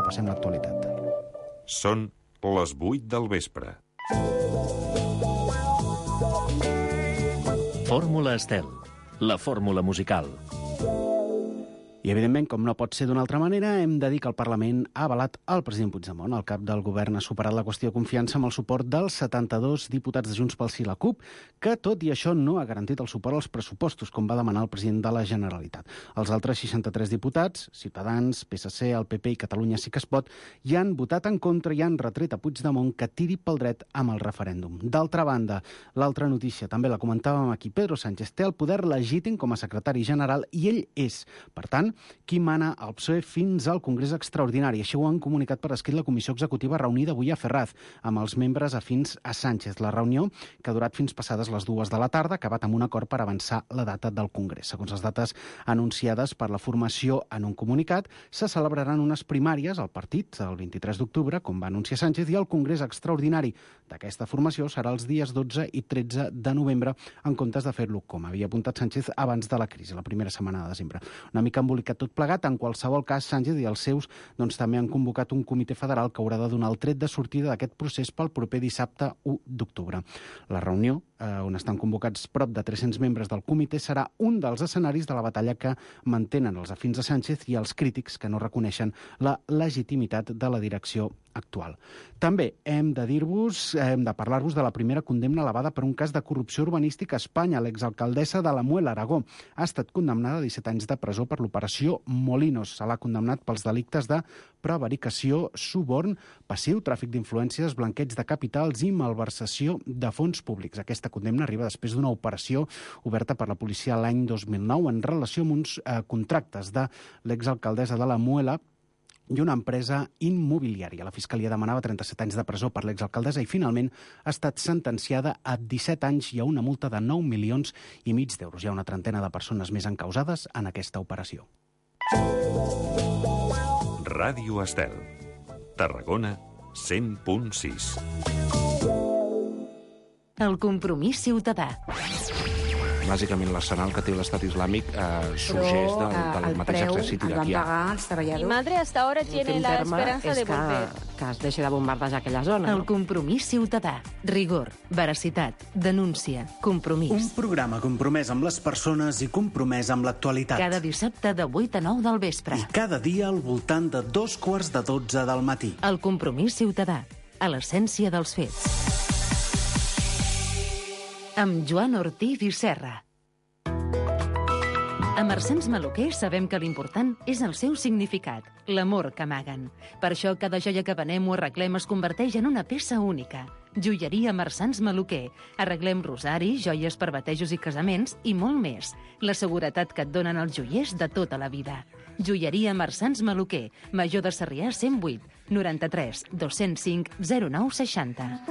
repassem l'actualitat. Són les 8 del vespre. Fórmula Estel, la fórmula musical. I, evidentment, com no pot ser d'una altra manera, hem de dir que el Parlament ha avalat el president Puigdemont. El cap del govern ha superat la qüestió de confiança amb el suport dels 72 diputats de Junts pel Sí i la CUP, que, tot i això, no ha garantit el suport als pressupostos, com va demanar el president de la Generalitat. Els altres 63 diputats, Ciutadans, PSC, el PP i Catalunya Sí que es pot, hi han votat en contra i han retret a Puigdemont que tiri pel dret amb el referèndum. D'altra banda, l'altra notícia, també la comentàvem aquí, Pedro Sánchez té el poder legítim com a secretari general i ell és, per tant, qui mana al PSOE fins al Congrés Extraordinari. Així ho han comunicat per escrit la Comissió Executiva reunida avui a Ferraz amb els membres afins a Sánchez. La reunió, que ha durat fins passades les 2 de la tarda, ha acabat amb un acord per avançar la data del Congrés. Segons les dates anunciades per la formació en un comunicat, se celebraran unes primàries al partit el 23 d'octubre, com va anunciar Sánchez, i el Congrés Extraordinari d'aquesta formació serà els dies 12 i 13 de novembre, en comptes de fer-lo, com havia apuntat Sánchez, abans de la crisi, la primera setmana de desembre. Una mica embolicat tot plegat. En qualsevol cas, Sánchez i els seus també han convocat un comitè federal que haurà de donar el tret de sortida d'aquest procés pel proper dissabte 1 d'octubre. La reunió, on estan convocats prop de 300 membres del comitè, serà un dels escenaris de la batalla que mantenen els afins a Sánchez i els crítics que no reconeixen la legitimitat de la direcció actual. També hem de parlar-vos de la primera condemna elevada per un cas de corrupció urbanística a Espanya. L'exalcaldessa de la Muela, Aragó, ha estat condemnada a 17 anys de presó per l'operació Molinos. Se l'ha condemnat pels delictes de prevaricació, suborn, passiu, tràfic d'influències, blanqueig de capitals i malversació de fons públics. Aquesta condemna arriba després d'una operació oberta per la policia l'any 2009 en relació amb uns contractes de l'exalcaldessa de la Muela i una empresa immobiliària. La Fiscalia demanava 37 anys de presó per l'exalcaldessa i finalment ha estat sentenciada a 17 anys i a una multa de 9,5 milions d'euros. Hi ha una trentena de persones més encausades en aquesta operació. Ràdio Estel. Tarragona 100.6. El compromís ciutadà. Bàsicament, l'arsenal que té l'Estat Islàmic sorgeix del mateix exèrcit iraquià. Mi madre hasta ahora tiene la esperanza de volver. Que es deixi de bombardejar aquella zona. El compromís ciutadà. Rigor, veracitat, denúncia, compromís. Un programa compromès amb les persones i compromès amb l'actualitat. Cada dissabte de 8 a 9 del vespre. I cada dia al voltant de 11:45 del matí. El compromís ciutadà. A l'essència dels fets. Amb Joan Ortiz i Serra. A Marsans Maluquer sabem que l'important és el seu significat, l'amor que amaguen. Per això cada joia que venem o arreglem es converteix en una peça única. Joieria Marsans Maluquer. Arreglem rosaris, joies per batejos i casaments i molt més. La seguretat que et donen els joiers de tota la vida. Joieria Marsans Maluquer. Major de Sarrià 108 93 205 09 60.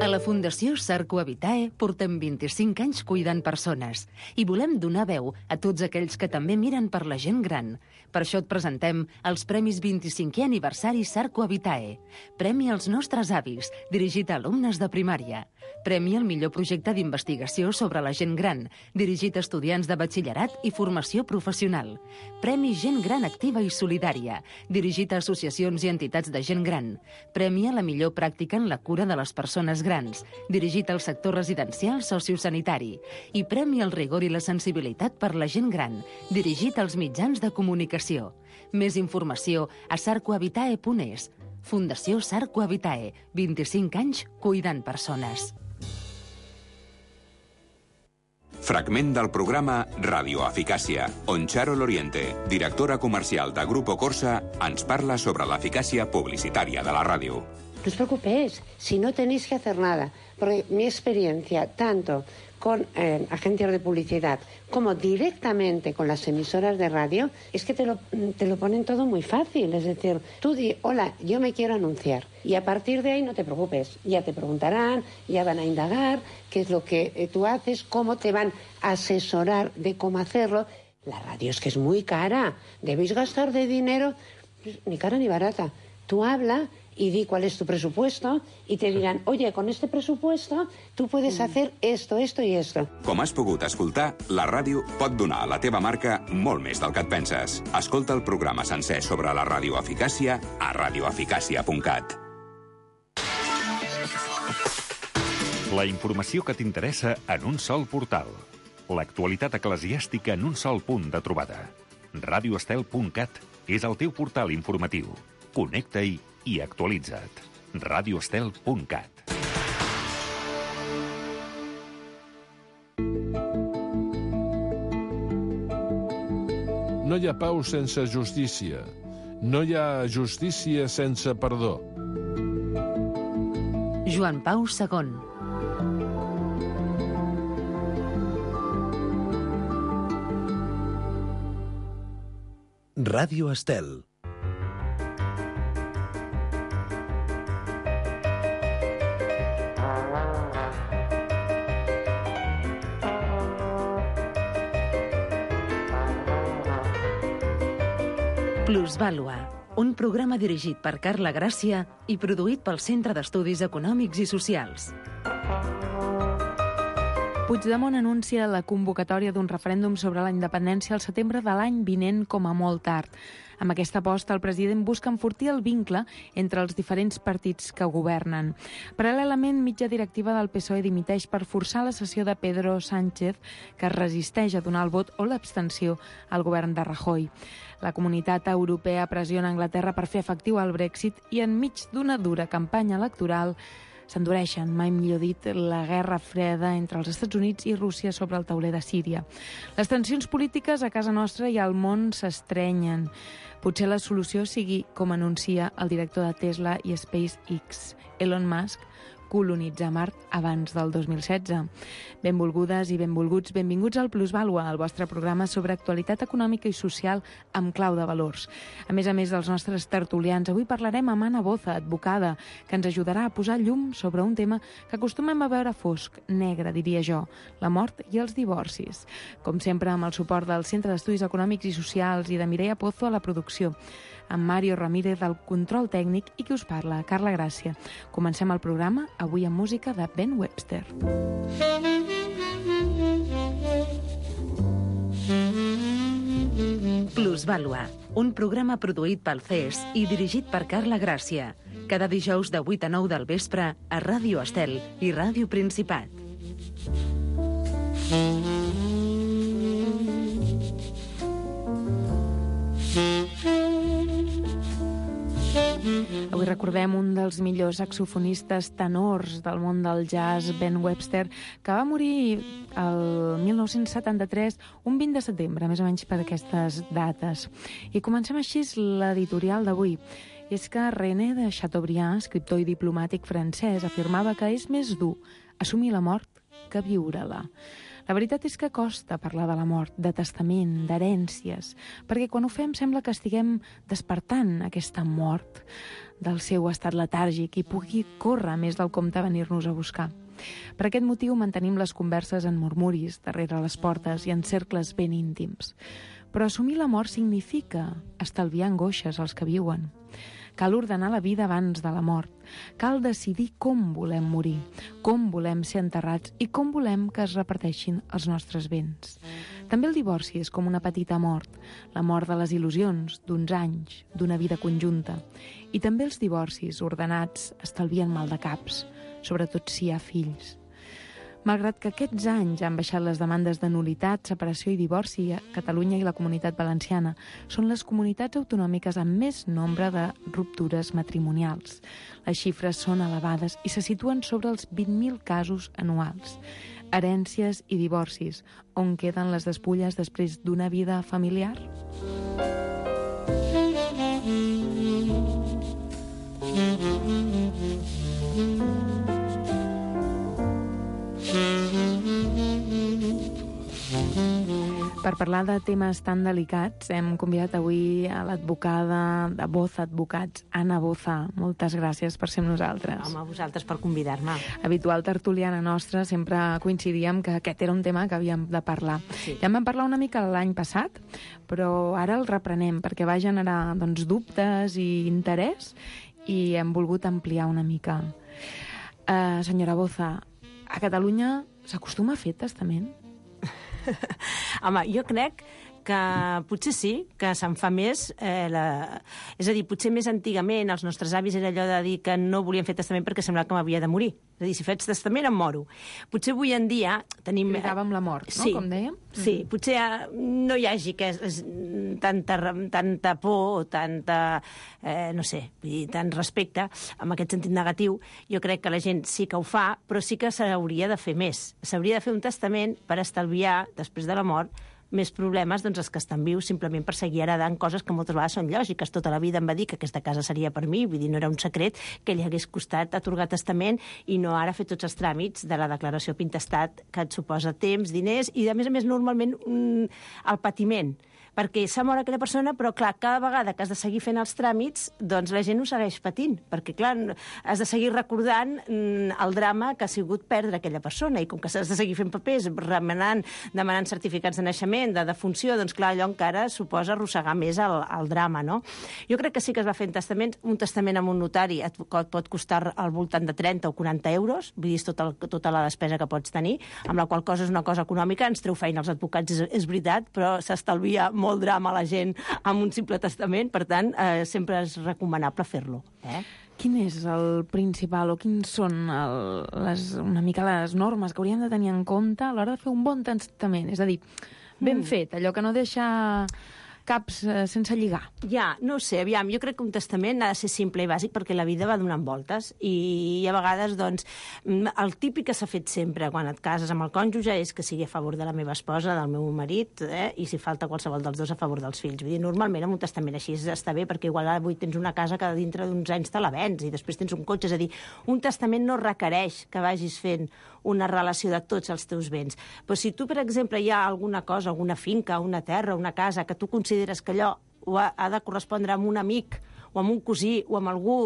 A la Fundació Sarco Habitae portem 25 anys cuidant persones i volem donar veu a tots aquells que també miren per la gent gran. Per això et presentem els Premis 25è aniversari Sarco Habitae. Premi als nostres avis, dirigit a alumnes de primària. Premi al millor projecte d'investigació sobre la gent gran, dirigit a estudiants de batxillerat i formació professional. Premi Gent Gran Activa i Solidària, dirigit a associacions i entitats de gent gran. Premi a la millor pràctica en la cura de les persones grans, dirigit al sector residencial sociosanitari. I Premi al rigor i la sensibilitat per la gent gran, dirigit als mitjans de comunicació. Més informació a sarcohabitae.es. Fundació Sarco Habitae, 25 anys cuidant persones. Fragment del programa Radio Eficàcia, on Charo Loriente, directora comercial de Grupo Corsa, ens parla sobre l'eficàcia publicitària de la ràdio. No os preocupéis, si no tenéis que hacer nada, porque mi experiencia, tanto con agencias de publicidad como directamente con las emisoras de radio, es que te lo ponen todo muy fácil. Es decir, tú di, hola, yo me quiero anunciar. Y a partir de ahí no te preocupes, ya te preguntarán, ya van a indagar qué es lo que tú haces, cómo te van a asesorar de cómo hacerlo. La radio es que es muy cara, debéis gastar de dinero, ni cara ni barata. Tú habla y di cuál es tu presupuesto y te dirán, oye, con este presupuesto tú puedes hacer esto, esto i esto. Com has pogut escoltar, la ràdio pot donar a la teva marca molt més del que et penses. Escolta el programa sencer sobre la radioeficàcia a radioeficàcia.cat. La informació que t'interessa en un sol portal. L'actualitat eclesiàstica en un sol punt de trobada. radioestel.cat és el teu portal informatiu. Connecta-hi i actualitza't. radioestel.cat. No hi ha pau sense justícia. No hi ha justícia sense perdó. Joan Pau II. Ràdio Estel. Plusvàlua, un programa dirigit per Carla Gràcia i produït pel Centre d'Estudis Econòmics i Socials. Puigdemont anuncia la convocatòria d'un referèndum sobre la independència al setembre de l'any vinent com a molt tard. Amb aquesta aposta, el president busca enfortir el vincle entre els diferents partits que governen. Paral·lelament, mitja directiva del PSOE dimiteix per forçar la cessió de Pedro Sánchez, que es resisteix a donar el vot o l'abstenció al govern de Rajoy. La Comunitat Europea pressiona Anglaterra per fer efectiu el Brexit i enmig d'una dura campanya electoral s'endureixen, mai millor dit, la guerra freda entre els Estats Units i Rússia sobre el tauler de Síria. Les tensions polítiques a casa nostra i al món s'estrenyen. Potser la solució sigui, com anuncia el director de Tesla i SpaceX, Elon Musk, colonitzar Mart abans del 2016. Benvolgudes i benvolguts, benvinguts al Plusvàlua, el vostre programa sobre actualitat econòmica i social amb clau de valors. A més dels nostres tertulians, avui parlarem amb Anna Boza, advocada, que ens ajudarà a posar llum sobre un tema que acostumem a veure fosc, negre, diria jo, la mort i els divorcis. Com sempre, amb el suport del Centre d'Estudis Econòmics i Socials i de Mireia Pozo a la producció, amb Mario Ramírez del control tècnic i qui us parla, Carla Gràcia. Comencem el programa, avui amb música de Ben Webster. Plusvàlua, un programa produït pel CES i dirigit per Carla Gràcia. Cada dijous de 8 a 9 del vespre a Ràdio Estel i Ràdio Principat. Avui recordem un dels millors saxofonistes tenors del món del jazz, Ben Webster, que va morir el 1973, un 20 de setembre, més o menys per aquestes dates. I comencem així l'editorial d'avui. I és que René de Chateaubriand, escriptor i diplomàtic francès, afirmava que és més dur assumir la mort que viure-la. La veritat és que costa parlar de la mort, de testament, d'herències, perquè quan ho fem sembla que estiguem despertant aquesta mort del seu estat letàrgic i pugui córrer més del compte a venir-nos a buscar. Per aquest motiu mantenim les converses en murmuris, darrere les portes i en cercles ben íntims. Però assumir la mort significa estalviar angoixes als que viuen. Cal ordenar la vida abans de la mort. Cal decidir com volem morir, com volem ser enterrats i com volem que es reparteixin els nostres béns. També el divorci és com una petita mort, la mort de les il·lusions, d'uns anys, d'una vida conjunta. I també els divorcis ordenats estalvien maldecaps, sobretot si hi ha fills. Malgrat que aquests anys han baixat les demandes de nul·litat, separació i divorci a Catalunya i la Comunitat Valenciana, són les comunitats autonòmiques amb més nombre de ruptures matrimonials. Les xifres són elevades i se situen sobre els 20.000 casos anuals. Herències i divorcis, on queden les despulles després d'una vida familiar? per parlar de temes tan delicats hem convidat avui a l'advocada de Boza Advocats, Anna Boza. Moltes gràcies per ser amb nosaltres. Home, a vosaltres per convidar-me. Habitual tertuliana nostra, sempre coincidíem que aquest era un tema que havíem de parlar. Sí. Ja en vam parlar una mica l'any passat, però ara el reprenem perquè va generar dubtes i interès i hem volgut ampliar una mica. Senyora Boza, a Catalunya s'acostuma a fer testament? Home, jo crec que potser sí, que se'n fa més. És a dir, potser més antigament els nostres avis era allò de dir que no volien fer testament perquè semblava que m'havia de morir. És a dir, si faig testament em moro. Potser avui en dia tenim... Cridàvem la mort, no? Sí, com dèiem? Sí, potser no hi hagi tanta por o tanta, no sé, tant respecte amb aquest sentit negatiu. Jo crec que la gent sí que ho fa, però sí que s'hauria de fer més. S'hauria de fer un testament per estalviar, després de la mort, més problemes els que estan vius simplement per seguir heredant coses que moltes vegades són lògiques. Tota la vida em va dir que aquesta casa seria per mi, vull dir, no era un secret que li hagués costat atorgar testament i no ara fer tots els tràmits de la declaració pintestat que et suposa temps, diners i, a més, normalment el patiment. Perquè s'ha mort aquella persona, però, clar, cada vegada que has de seguir fent els tràmits, doncs la gent ho segueix patint, perquè, clar, has de seguir recordant el drama que ha sigut perdre aquella persona, i com que s'has de seguir fent papers, demanant certificats de naixement, de defunció, doncs, clar, allò encara suposa arrossegar més el drama, no? Jo crec que sí que es va fent testament. Un testament amb un notari et pot costar al voltant de 30 o 40 euros, vull dir, tota la despesa que pots tenir, amb la qual cosa és una cosa econòmica, ens treu feina als advocats, és veritat, però s'estalvia molt drama a la gent amb un simple testament, per tant, sempre és recomanable fer-lo. Quin és el principal o quins són una mica les normes que hauríem de tenir en compte a l'hora de fer un bon testament? És a dir, ben fet, allò que no deixa caps sense lligar. Ja, no ho sé, aviam, jo crec que un testament ha de ser simple i bàsic perquè la vida va donant voltes i a vegades, doncs, el típic que s'ha fet sempre quan et cases amb el cònjuge és que sigui a favor de la meva esposa, del meu marit, i si falta qualsevol dels dos a favor dels fills. Vull dir, normalment amb un testament així està bé perquè igual avui tens una casa que dintre d'uns anys te la vens i després tens un cotxe. És a dir, un testament no requereix que vagis fent una relació de tots els teus béns. Però si tu, per exemple, hi ha alguna cosa, alguna finca, una terra, una casa, que tu consideres que allò ha de correspondre amb un amic o amb un cosí o amb algú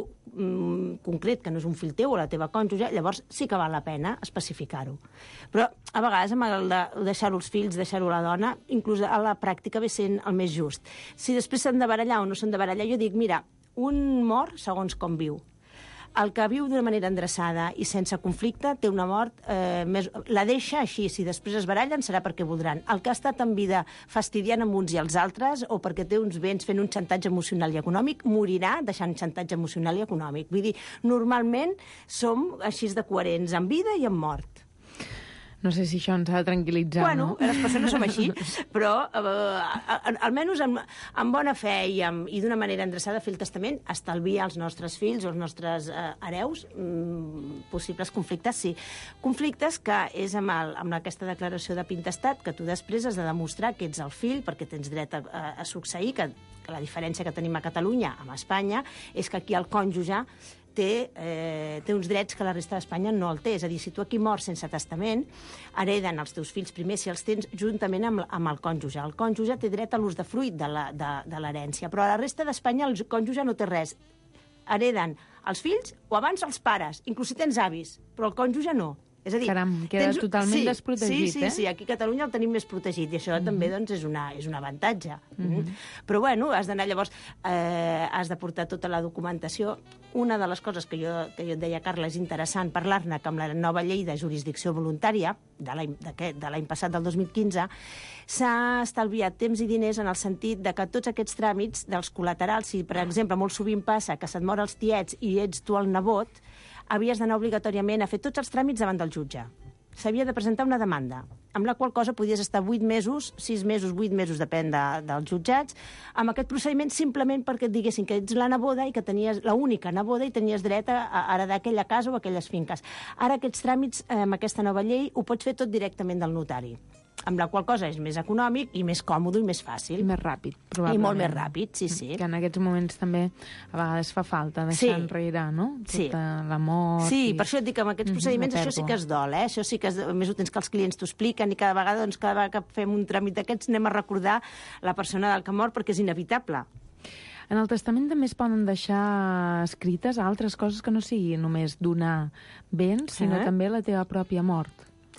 concret que no és un fill teu o la teva cònjuge, llavors sí que val la pena especificar-ho. Però a vegades amb el de deixar-ho als fills, deixar-ho a la dona, inclús a la pràctica ve sent el més just. Si després s'han de barallar o no s'han de barallar, jo dic, mira, un mor segons com viu. El que viu d'una manera endreçada i sense conflicte té una mort, la deixa així. Si després es barallen serà perquè voldran. El que ha estat en vida fastidiant amb uns i els altres o perquè té uns béns fent un xantatge emocional i econòmic, morirà deixant xantatge emocional i econòmic. Vull dir, normalment som així de coherents en vida i en mort. No sé si això ens ha de tranquil·litzar, bueno, no? Les persones som així, però almenys amb bona fe i d'una manera endreçada fer el testament estalvia als nostres fills o als nostres hereus possibles conflictes, sí. Conflictes que és amb aquesta declaració de pintestat que tu després has de demostrar que ets el fill perquè tens dret a succeir, que la diferència que tenim a Catalunya amb Espanya és que aquí el cònjuge té uns drets que la resta d'Espanya no el té. És a dir, si tu aquí mors sense testament, hereden els teus fills primer si els tens juntament amb el cònjuge. El cònjuge té dret a l'usdefruit de l'herència, però a la resta d'Espanya el cònjuge no té res. Hereden els fills o abans els pares, inclús si tens avis, però el cònjuge no. És a dir, caram, queda totalment desprotegit, Sí, aquí a Catalunya el tenim més protegit i això també doncs, és un avantatge. Però bueno, has d'anar llavors, has de portar tota la documentació. Una de les coses que jo et deia, Carla, és interessant parlar-ne que amb la nova llei de jurisdicció voluntària de l'any passat, del 2015, s'ha estalviat temps i diners en el sentit de que tots aquests tràmits dels col·laterals, si per exemple molt sovint passa que se't mor els tiets i ets tu el nebot, havies d'anar obligatòriament a fer tots els tràmits davant del jutge. S'havia de presentar una demanda, amb la qual cosa podies estar 8 mesos, 6 mesos, 8 mesos, depèn dels jutjats, amb aquest procediment simplement perquè et diguessin que ets la neboda i que tenies l'única neboda i tenies dret a heredar aquella casa o aquelles finques. Ara aquests tràmits, amb aquesta nova llei, ho pots fer tot directament del notari. amb la qual cosa és més econòmic i més còmode i més fàcil. I més ràpid, probablement. I molt més ràpid, sí. Que en aquests moments també a vegades fa falta deixar enrere, no? Tota l'amor... Sí, per això et dic que amb aquests procediments això sí que es dol, Això sí que a més ho tens que els clients t'ho expliquen i cada vegada que fem un tràmit d'aquests anem a recordar la persona del que mor perquè és inevitable. En el testament també es poden deixar escrites altres coses que no sigui només donar béns, sinó també la teva pròpia mort.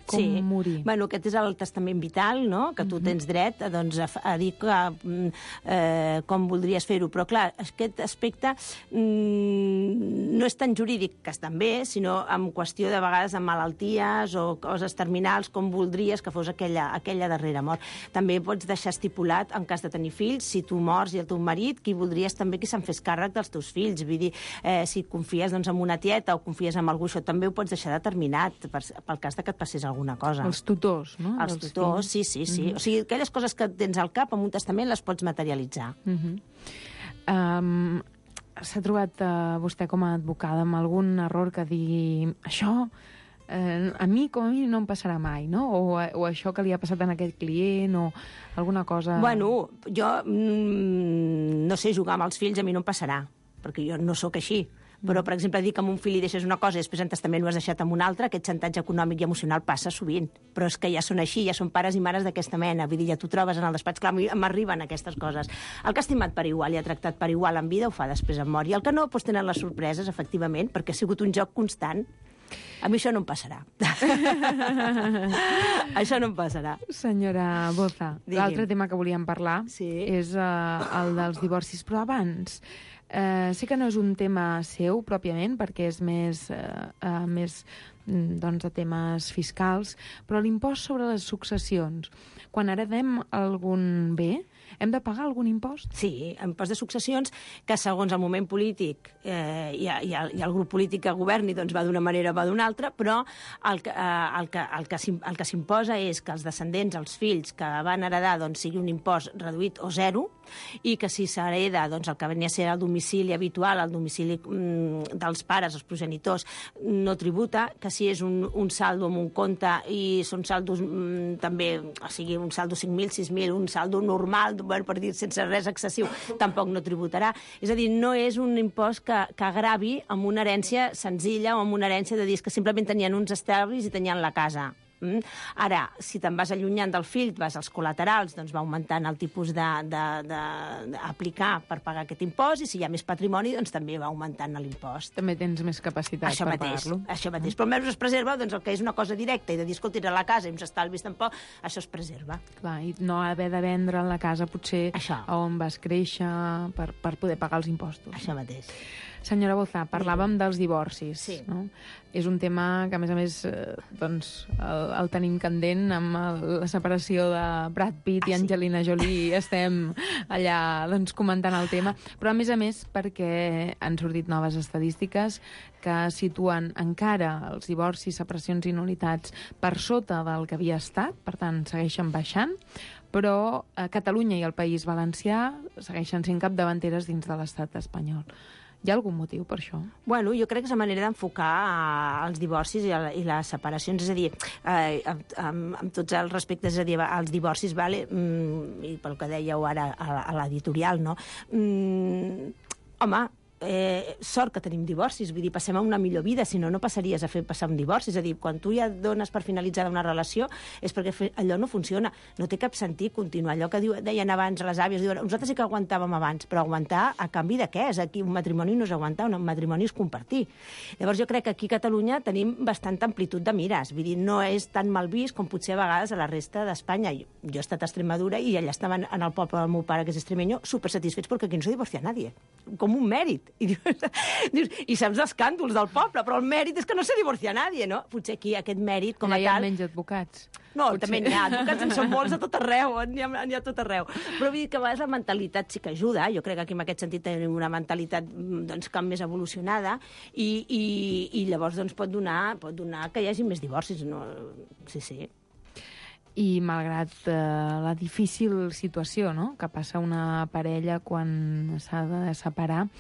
Com morir. Bueno, aquest és el testament vital, no?, que tu tens dret doncs, a dir com voldries fer-ho. Però, clar, aquest aspecte no és tan jurídic, que estan bé, sinó en qüestió de vegades de malalties o coses terminals, com voldries que fos aquella darrera mort. També pots deixar estipulat, en cas de tenir fills, si tu mors i el teu marit, qui voldries també que se'n fes càrrec dels teus fills. Vull dir, si confies doncs, en una tieta o confies en algú, això també ho pots deixar determinat pel cas de que et passés alguna cosa. Els tutors, no? Els tutors, sí. O sigui, aquelles coses que tens al cap amb un testament les pots materialitzar. S'ha trobat vostè com a advocada amb algun error que digui això a mi com a mi no em passarà mai, no? O això que li ha passat a aquest client o alguna cosa... Bueno, jo no sé jugar amb els fills, a mi no em passarà, perquè jo no sóc així. Però, per exemple, dir que amb un fill li deixes una cosa i després en testament ho has deixat amb un altre, aquest xantatge econòmic i emocional passa sovint. Però és que ja són així, ja són pares i mares d'aquesta mena. Vull dir, ja t'ho trobes en el despatx. Clar, m'arriben aquestes coses. El que ha estimat per igual i ha tractat per igual en vida ho fa després en mort. I el que no, doncs tenen les sorpreses, efectivament, perquè ha sigut un joc constant. A mi això no em passarà. Això no em passarà. Senyora Boza, l'altre tema que volíem parlar és el dels divorcis. Però abans... sé que no és un tema seu, pròpiament, perquè és més de temes fiscals, però l'impost sobre les successions. Quan heredem algun bé, hem de pagar algun impost? Sí, impost de successions, que segons el moment polític i el grup polític que governi doncs va d'una manera o va d'una altra, però el que s'imposa és que els descendents, els fills que van heredar, doncs sigui un impost reduït o zero, i que si s'hereda doncs, el que venia a ser el domicili habitual, el domicili dels pares, els progenitors, no tributa, que si és un saldo amb un compte i són saldos també, o sigui, un saldo 5.000, 6.000, un saldo normal, per dir, sense res excessiu, tampoc no tributarà. És a dir, no és un impost que agravi amb una herència senzilla o amb una herència de dir que simplement tenien uns estalvis i tenien la casa. Ara, si te'n vas allunyant del fill, vas als col·laterals, doncs va augmentant el tipus d'aplicar per pagar aquest impost, i si hi ha més patrimoni, doncs també va augmentant l'impost. També tens més capacitat per pagar-lo. Això mateix. Però almenys es preserva doncs, el que és una cosa directa, i de dir, escolta, a la casa i uns estalvis tampoc, això es preserva. Clar, i no haver de vendre la casa potser on vas créixer per poder pagar els impostos. Això mateix. Senyora Boza, parlàvem dels divorcis. Sí. No? És un tema que, a més, doncs, el tenim candent amb la separació de Brad Pitt i Angelina Jolie. Estem allà doncs, comentant el tema. Però, a més, perquè han sortit noves estadístiques que situen encara els divorcis, separacions i nul·litats per sota del que havia estat, per tant, segueixen baixant, però Catalunya i el País Valencià segueixen sent capdavanteres dins de l'estat espanyol. Hi ha algun motiu per això? Bueno, jo crec que és la manera d'enfocar els divorcis i les separacions, és a dir, amb tots els respectes, és a dir, els divorcis, i pel que dèieu ara a l'editorial, no? Home, sort que tenim divorcis, vull dir, passem a una millor vida, si no, no passaries a fer passar un divorci. És a dir, quan tu ja dones per finalitzada una relació és perquè allò no funciona. No té cap sentit continuar. Allò que deien abans les àvies, diuen, nosaltres sí que aguantàvem abans, però aguantar a canvi de què? És aquí un matrimoni no és aguantar, un matrimoni és compartir. Llavors jo crec que aquí a Catalunya tenim bastanta amplitud de mires, vull dir, no és tan mal vist com potser a vegades a la resta d'Espanya. Jo he estat a Extremadura i allà estaven en el poble del meu pare, que és extremeño, supersatisfets perquè aquí no se divorcia nadie. Com un mèrit. I dius, i saps l'escàndols del poble, però el mèrit és que no se divorcia nadie, no? Potser aquí aquest mèrit com a tal... Hi ha menys advocats. No, potser. També n'hi ha advocats, en són molts a tot arreu, n'hi ha a tot arreu. Però vull dir que a vegades la mentalitat sí que ajuda, jo crec que aquí en aquest sentit tenim una mentalitat doncs, com més evolucionada i llavors doncs, pot donar que hi hagi més divorcis. No? Sí. I malgrat la difícil situació, no?, que passa una parella quan s'ha de separar,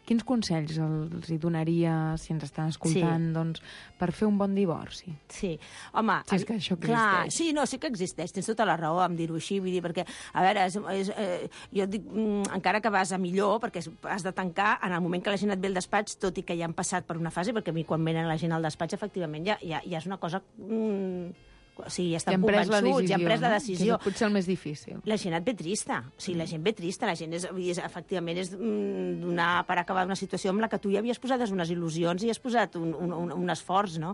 Quins consells els hi donaria, si ens estan escoltant, doncs, per fer un bon divorci? Sí, home... Si és que això existeix. Clar, sí, no, sí que existeix, tens tota la raó en dir-ho així, vull dir, perquè, a veure, jo dic, encara que vas a millor, perquè has de tancar en el moment que la gent et ve al despatx, tot i que ja han passat per una fase, perquè a mi quan venen la gent al despatx, efectivament, ja és una cosa... O sigui, ja estan convençuts, ja han pres la decisió. Que és potser el més difícil. La gent et ve trista. O sigui, la gent ve trista. La gent efectivament és donar per acabar una situació amb la que tu ja havies posat unes il·lusions i has posat un esforç, no?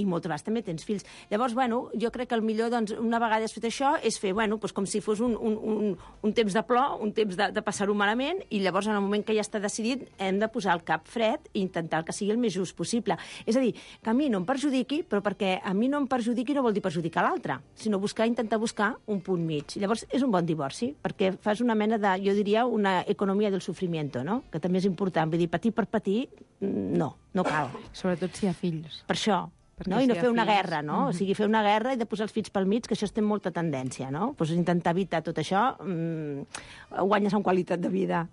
I moltes vegades també tens fills. Llavors, bueno, jo crec que el millor, doncs, una vegada has fet això, és fer, bueno, doncs com si fos un temps de plor, un temps de passar-ho malament, i llavors, en el moment que ja està decidit, hem de posar el cap fred i intentar que sigui el més just possible. És a dir, que a mi no em perjudiqui, però perquè a mi no em perjudiqui no vol dir perjudicar l'altre, sinó intentar buscar un punt mig. Llavors, és un bon divorci, perquè fas una mena de, jo diria, una economia del sofrimiento, no? Que també és important. Vull dir, patir per patir, no cal. Sobretot si hi ha fills. Per això. No? I no fer una guerra, no? O sigui, fer una guerra i de posar els fills pel mig, que això té molta tendència, no? Pues intentar evitar tot això, guanyes en qualitat de vida.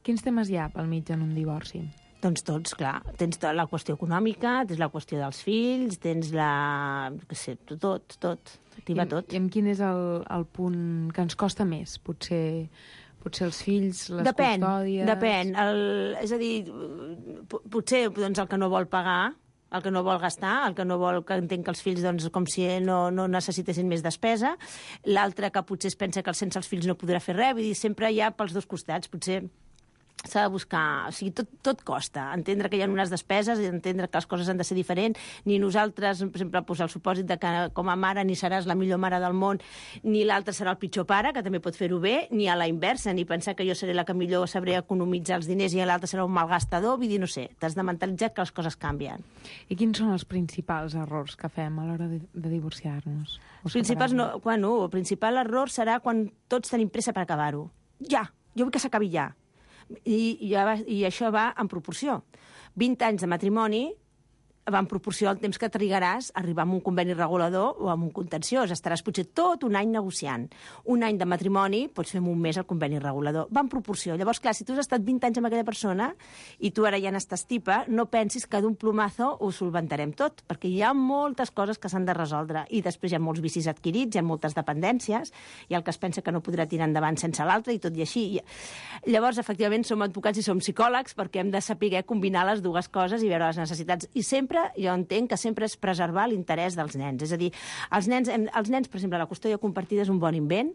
Quins temes hi ha pel mig en un divorci? Doncs tots, clar. Tens la qüestió econòmica, tens la qüestió dels fills, tens la... què sé, tot. T'hi va tot. I quin és el punt que ens costa més? Potser els fills, les custòdies... Depèn. És a dir, potser doncs, el que no vol pagar, el que no vol gastar, el que no vol que entenc que els fills doncs, com si no necessitessin més despesa, l'altre que potser es pensa que sense els fills no podrà fer res, vull dir, sempre hi ha pels dos costats, potser s'ha de buscar, o sigui, tot costa, entendre que hi ha unes despeses, entendre que les coses han de ser diferents, ni nosaltres, per exemple, posar el supòsit de que com a mare ni seràs la millor mare del món, ni l'altre serà el pitjor pare, que també pot fer-ho bé, ni a la inversa, ni pensar que jo seré la que millor sabré economitzar els diners i l'altre serà un malgastador, vull dir, no sé, t'has de mentalitzar que les coses canvien. I quins són els principals errors que fem a l'hora de divorciar-nos? El principal error serà quan tots tenim pressa per acabar-ho. Ja, jo vull que s'acabi ja. I això va en proporció. 20 anys de matrimoni va en proporció al temps que trigaràs a arribar a un conveni regulador o a un contenciós. Estaràs potser tot un any negociant. Un any de matrimoni pots fer en un mes el conveni regulador. Va en proporció. Llavors, clar, si tu has estat 20 anys amb aquella persona i tu ara ja n'estàs tipa, no pensis que d'un plomazo ho solventarem tot, perquè hi ha moltes coses que s'han de resoldre. I després hi ha molts vicis adquirits, hi ha moltes dependències, hi ha el que es pensa que no podrà tirar endavant sense l'altre i tot i així. Llavors, efectivament, som advocats i som psicòlegs perquè hem de saber combinar les dues coses i veure les necessitats. I sempre jo entenc que sempre és preservar l'interès dels nens. És a dir, els nens, per exemple, la custòdia compartida és un bon invent,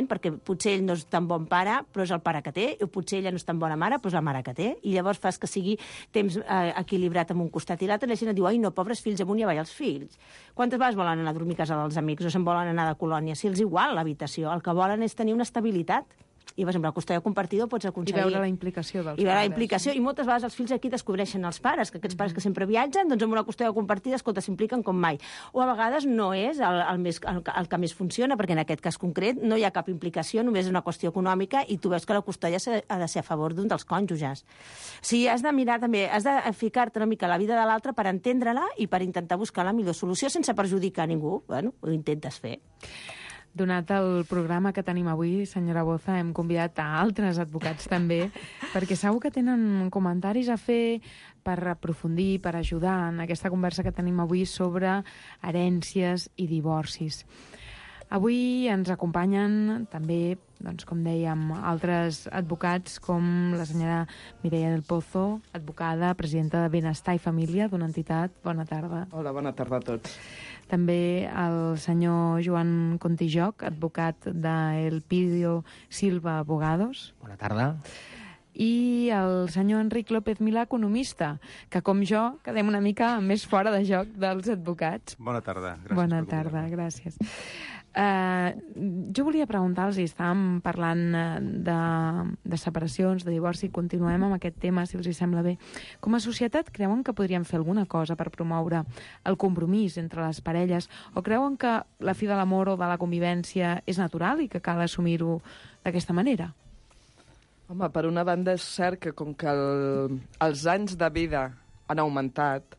perquè potser ell no és tan bon pare, però és el pare que té, o potser ella no és tan bona mare, però és la mare que té, i llavors fas que sigui temps equilibrat amb un costat i l'altre, i la gent et diu, ai, no, pobres fills, amunt i avall els fills. Quantes vegades volen anar a dormir a casa dels amics o se'n volen anar de colònia? Si els igual l'habitació, el que volen és tenir una estabilitat. I, per exemple, la custòdia compartida pots aconseguir... I veure la implicació dels pares. I veure la implicació, i moltes vegades els fills aquí descobreixen els pares, que aquests pares que sempre viatgen, doncs amb una custòdia compartida, escolta, s'impliquen com mai. O a vegades no és el que més funciona, perquè en aquest cas concret no hi ha cap implicació, només és una qüestió econòmica, i tu veus que la custòdia ha de ser a favor d'un dels cònjuges. O sigui, has de mirar també, has de ficar-te una mica la vida de l'altre per entendre-la i per intentar buscar la millor solució sense perjudicar a ningú. Bueno, ho intentes fer. Donat el programa que tenim avui, senyora Boza, hem convidat a altres advocats també, perquè segur que tenen comentaris a fer per aprofundir, per ajudar en aquesta conversa que tenim avui sobre herències i divorcis. Avui ens acompanyen també, doncs, com dèiem, altres advocats com la senyora Mireia del Pozo, advocada, presidenta de Benestar i Família d'una entitat. Bona tarda. Hola, bona tarda a tots. També el senyor Joan Contijoc, advocat d'El Pidio Silva Abogados. Bona tarda. I el senyor Enric López Milà, economista, que com jo quedem una mica més fora de joc dels advocats. Bona tarda. Gràcies. Bona tarda, gràcies. Jo volia preguntar-los, estàvem parlant de separacions, de divorci, continuem amb aquest tema, si els sembla bé. Com a societat, creuen que podríem fer alguna cosa per promoure el compromís entre les parelles, o creuen que la fi de l'amor o de la convivència és natural i que cal assumir-ho d'aquesta manera? Home, per una banda és cert que com que els anys de vida han augmentat,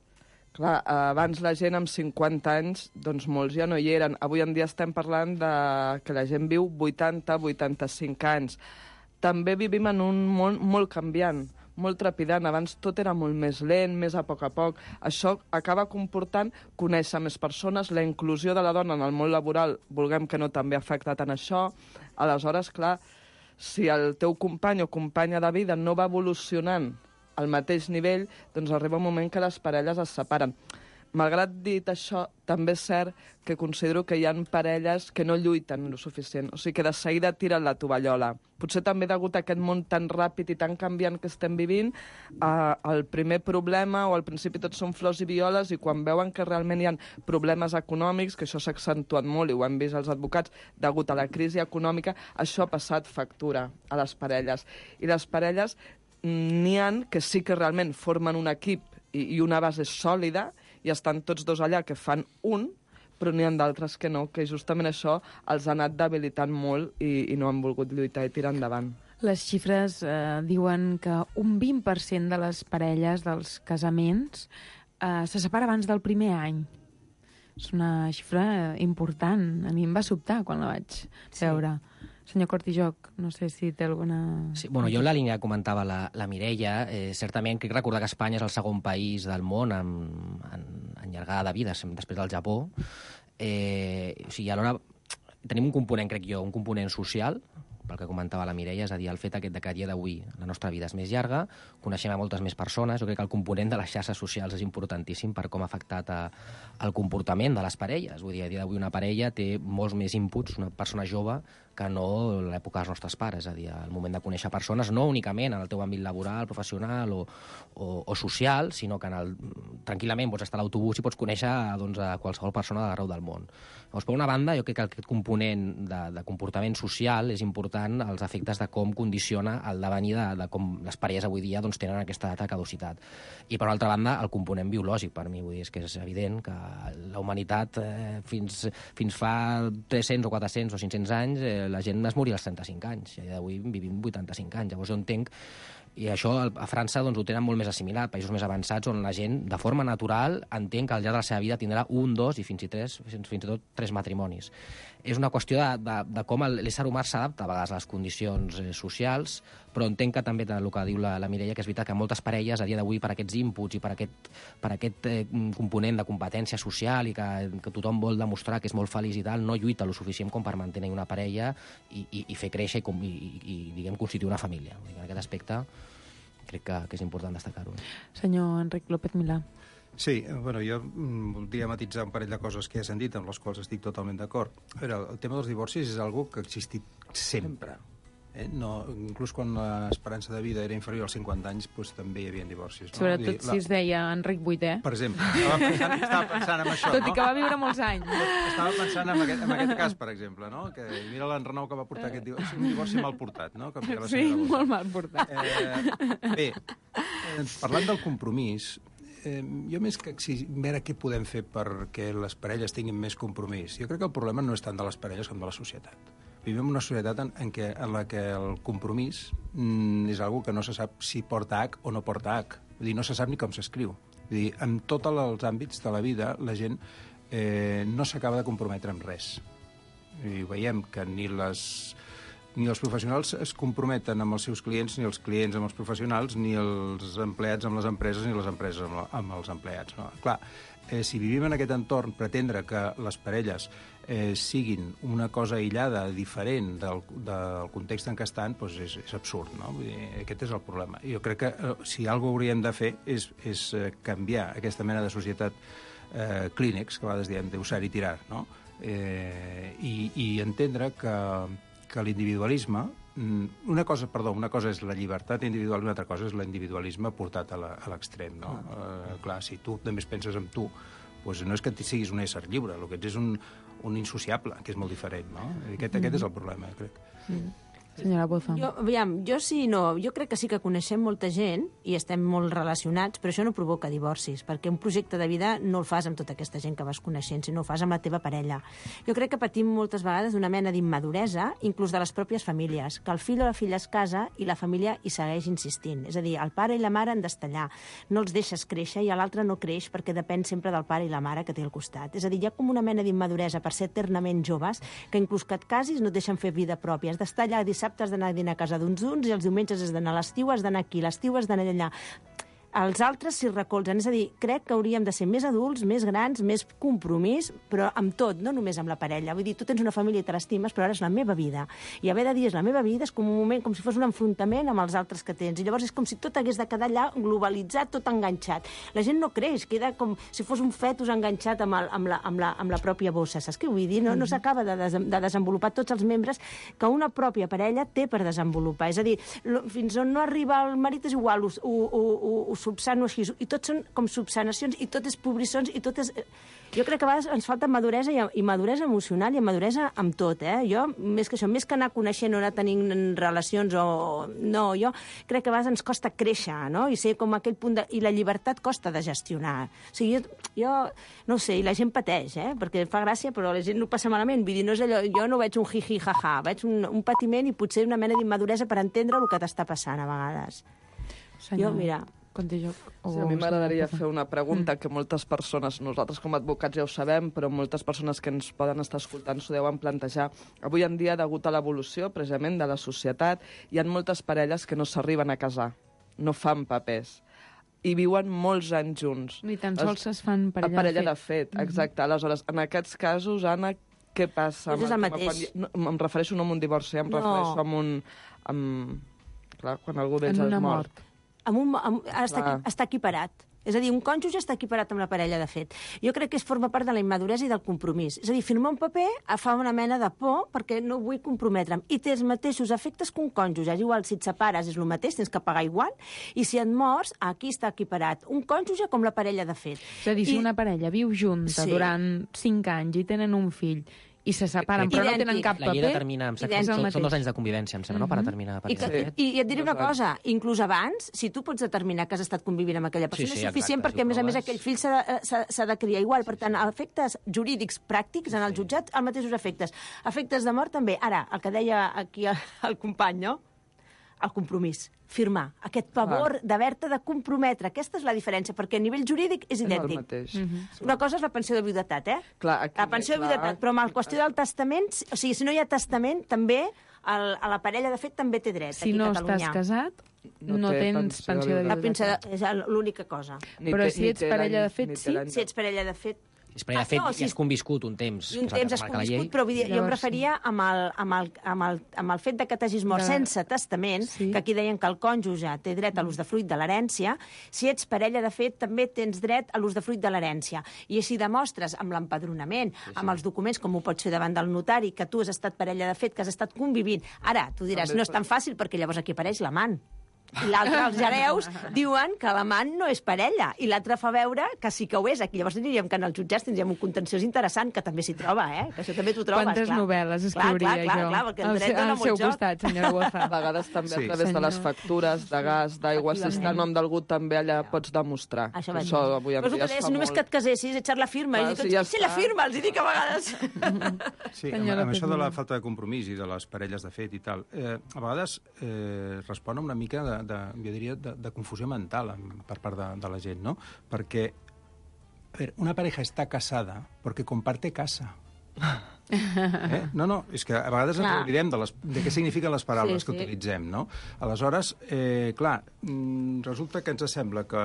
clar, abans la gent amb 50 anys, doncs molts ja no hi eren. Avui en dia estem parlant de que la gent viu 80-85 anys. També vivim en un món molt canviant. molt trepidant. Abans tot era molt més lent, més a poc. Això acaba comportant conèixer més persones, la inclusió de la dona en el món laboral, vulguem que no, també ha afectat en això. Aleshores, clar, si el teu company o companya de vida no va evolucionant al mateix nivell, doncs arriba un moment que les parelles es separen. Malgrat dit això, també és cert que considero que hi ha parelles que no lluiten el suficient, o sigui que de seguida tiren la tovallola. Potser també degut a aquest món tan ràpid i tan canviant que estem vivint, el primer problema, o al principi tot són flors i violes, i quan veuen que realment hi ha problemes econòmics, que això s'ha accentuat molt, i ho hem vist els advocats, degut a la crisi econòmica, això ha passat factura a les parelles. I les parelles n'hi ha que sí que realment formen un equip i una base sòlida, i estan tots dos allà que fan un, però n'hi ha d'altres que no, que justament això els ha anat debilitant molt i no han volgut lluitar i tirar endavant. Les xifres diuen que un 20% de les parelles dels casaments se separa abans del primer any. És una xifra important. A mi em va sobtar quan la vaig veure. Senyor Cortijoc, no sé si té alguna... Sí, bueno, jo en la línia que comentava la Mireia, certament crec recordar que Espanya és el segon país del món en llargada de vida, després del Japó. O sigui, alhora tenim un component, crec jo, un component social, pel que comentava la Mireia, és a dir, el fet aquest que a dia d'avui la nostra vida és més llarga, coneixem a moltes més persones, jo crec que el component de les xarxes socials és importantíssim per com ha afectat el comportament de les parelles. Vull dir, a dia d'avui una parella té molts més inputs, una persona jove, que no l'època dels nostres pares, és a dir, el moment de conèixer persones, no únicament en el teu àmbit laboral, professional o social, sinó que tranquil·lament pots estar a l'autobús i pots conèixer doncs, a qualsevol persona d'arreu del món. Llavors, per una banda, jo crec que aquest component de comportament social és important als efectes de com condiciona el devenir de com les parelles avui dia doncs, tenen aquesta data de caducitat. I, per altra banda, el component biològic, per mi, vull dir, és que és evident que la humanitat fins fa 300 o 400 o 500 anys la gent es moria als 35 anys, i avui vivim 85 anys. Llavors jo entenc, i això a França doncs, ho tenen molt més assimilat, països més avançats on la gent, de forma natural, entén que al llarg de la seva vida tindrà un, dos i fins i tot 3 matrimonis. És una qüestió de com l'ésser humà s'adapta a vegades a les condicions socials, però entenc que també el que diu la Mireia, que és veritat que moltes parelles a dia d'avui per aquests inputs i per aquest component de competència social i que tothom vol demostrar que és molt feliç i tal, no lluita lo suficient com per mantenir una parella i fer créixer i diguem, constituir una família. En aquest aspecte crec que és important destacar-ho. Senyor Enric López Milà. Sí, bueno, jo voldria matitzar un parell de coses que ja s'han dit, amb les quals estic totalment d'acord. El tema dels divorcis és algo que ha existit sempre. No, inclús quan l'esperança de vida era inferior als 50 anys, doncs també hi havia divorcis. No? Sobretot si es deia Enric VIII. Per exemple, estava pensant en això. Tot i que va viure molts anys. Estava pensant en aquest cas, per exemple, no? Que mira l'enrenou que va portar aquest divorci, un divorci mal portat, no? Sí, molt mal portat. Bé, parlant del compromís, jo més que veure què podem fer perquè les parelles tinguin més compromís, jo crec que el problema no és tant de les parelles com de la societat. Vivim en una societat en la que el compromís és algo que no se sap si porta H o no porta H. Vull dir, no se sap ni com s'escriu. Vull dir, en tots els àmbits de la vida la gent no s'acaba de comprometre amb res. I veiem que ni els professionals es comprometen amb els seus clients, ni els clients amb els professionals, ni els empleats amb les empreses, ni les empreses amb els empleats. No? Clar, si vivim en aquest entorn, pretendre que les parelles siguin una cosa aïllada, diferent del context en què estan, doncs és absurd. No? Vull dir, aquest és el problema. Jo crec que si alguna cosa hauríem de fer és canviar aquesta mena de societat clínex, que a vegades diem d'usar i tirar, no? I entendre que l'individualisme... Una cosa és la llibertat individual i una altra cosa és l'individualisme portat a l'extrem. No? Clar, si tu només penses en tu, doncs no és que siguis un ésser lliure, el que ets és un insociable, que és molt diferent. No? Aquest és el problema, crec. Senyora Boza. Jo sí, no. Jo crec que sí que coneixem molta gent i estem molt relacionats, però això no provoca divorcis, perquè un projecte de vida no el fas amb tota aquesta gent que vas coneixent, sinó ho fas amb la teva parella. Jo crec que patim moltes vegades d'una mena d'immaduresa, inclús de les pròpies famílies, que el fill o la filla es casa i la família hi segueix insistint. És a dir, el pare i la mare han d'estar allà. No els deixes créixer i l'altre no creix perquè depèn sempre del pare i la mare que té al costat. És a dir, hi ha com una mena d'immaduresa per ser eternament joves, que inclús que et casis no et deixen fer vida pròpia. Has d'estar allà a dir, dissabte has d'anar a dinar a casa d'uns i els diumenges has d'anar a l'estiu, has d'anar aquí, l'estiu has d'anar allà. Els altres s'hi recolzen. És a dir, crec que hauríem de ser més adults, més grans, més compromís, però amb tot, no només amb la parella. Vull dir, tu tens una família i te l'estimes, però ara és la meva vida. I haver de dir és la meva vida és com un moment, com si fos un enfrontament amb els altres que tens. I llavors és com si tot hagués de quedar allà globalitzat, tot enganxat. La gent no creix, queda com si fos un fetus enganxat amb la pròpia bossa. Saps què vull dir? No s'acaba de desenvolupar tots els membres que una pròpia parella té per desenvolupar. És a dir, fins on no arriba el marit és igual, ho subsano així, i tot són com subsanacions, i tot és pobrissons, i tot és... Jo crec que a vegades ens falta maduresa i maduresa emocional i maduresa amb tot, Jo, més que això, més que anar coneixent o anar tenint relacions o... No, jo crec que a vegades ens costa créixer, no? I ser com aquell punt de... I la llibertat costa de gestionar. O sigui, jo no ho sé, i la gent pateix, Perquè fa gràcia, però la gent no passa malament. Vull dir, no és allò... Jo no veig un jiji, jaja, veig un patiment i potser una mena d'immaduresa per entendre el que t'està passant a vegades. Senyor, jo, mira... Sí, a mi m'agradaria fer una pregunta que moltes persones, nosaltres com a advocats ja ho sabem, però moltes persones que ens poden estar escoltant s'ho deuen plantejar. Avui en dia, degut a l'evolució precisament de la societat, hi ha moltes parelles que no s'arriben a casar, no fan papers, i viuen molts anys junts. Ni tan sols es fan parella de fet. Exacte. Aleshores, en aquests casos, Anna, què passa? És el mateix. Em refereixo no a un divorci, em refereixo a un... Clar, quan algú d'ells és mort. Està equiparat. És a dir, un cònjuge està equiparat amb la parella, de fet. Jo crec que forma part de la immaduresa i del compromís. És a dir, firmar un paper fa una mena de por perquè no vull comprometre'm. I té els mateixos efectes que un cònjuge. És igual, si et separes és el mateix, tens que pagar igual, i si et mors, aquí està equiparat. Un cònjuge com la parella, de fet. És a dir, si una parella viu junta durant 5 anys i tenen un fill, i se separen, però no tenen cap paper... La llei determina, són 2 anys de convivència, em sembla, no?, per determinar... I et diré una cosa, inclús abans, si tu pots determinar que has estat convivint amb aquella persona, és suficient perquè, a més, aquell fill s'ha de criar igual. Per tant, efectes jurídics pràctics en el jutjat, els mateixos efectes. Efectes de mort, també. Ara, el que deia aquí el company, no?, el compromís, firmar, aquest pavor d'haver-te de comprometre. Aquesta és la diferència, perquè a nivell jurídic és idèntic. És el mateix. Una cosa és la pensió de viudetat, Clar, la pensió de viudetat, però amb la qüestió del testament, o sigui, si no hi ha testament, també a la parella, de fet, també té dret aquí a Catalunya. Si no estàs casat, no tens pensió de viudetat. És l'única cosa. Però si ets parella de fet, sí? Si ets parella de fet, de fet, ja has conviscut un temps. I un temps has conviscut, però jo em referia amb el fet de que t'hagis mort sense testament, que aquí deien que el cònjuge té dret a l'usdefruit de l'herència. Si ets parella, de fet, també tens dret a l'usdefruit de l'herència. I si demostres amb l'empadronament, amb els documents, com ho pots fer davant del notari, que tu has estat parella de fet, que has estat convivint. Ara, tu diràs, no és tan fàcil, perquè llavors aquí apareix l'amant. I l'altre, els hereus, diuen que l'amant no és parella, i l'altre fa veure que sí que ho és. Aquí llavors diríem que en els jutjats tindríem un contenciós interessant, que també s'hi troba, que això també t'ho trobes. Quantes novel·les escriuria jo al seu costat, senyora Boza. A vegades també a través de les factures de gas, d'aigua, si està el nom d'algú també allà pots demostrar. Això avui en dia es fa molt. Només que et casessis, echar la firma, i tots, sí, la firma, els hi dic a vegades. Sí, amb això de la falta de compromís i de les parelles de fet i tal, a vegades respon una mica jo diria, de confusió mental per part de la gent, no? Perquè, a veure, una pareja està casada perquè comparte casa. No, és que a vegades ens oblidem de què signifiquen les paraules que utilitzem, no? Aleshores, clar, resulta que ens sembla que,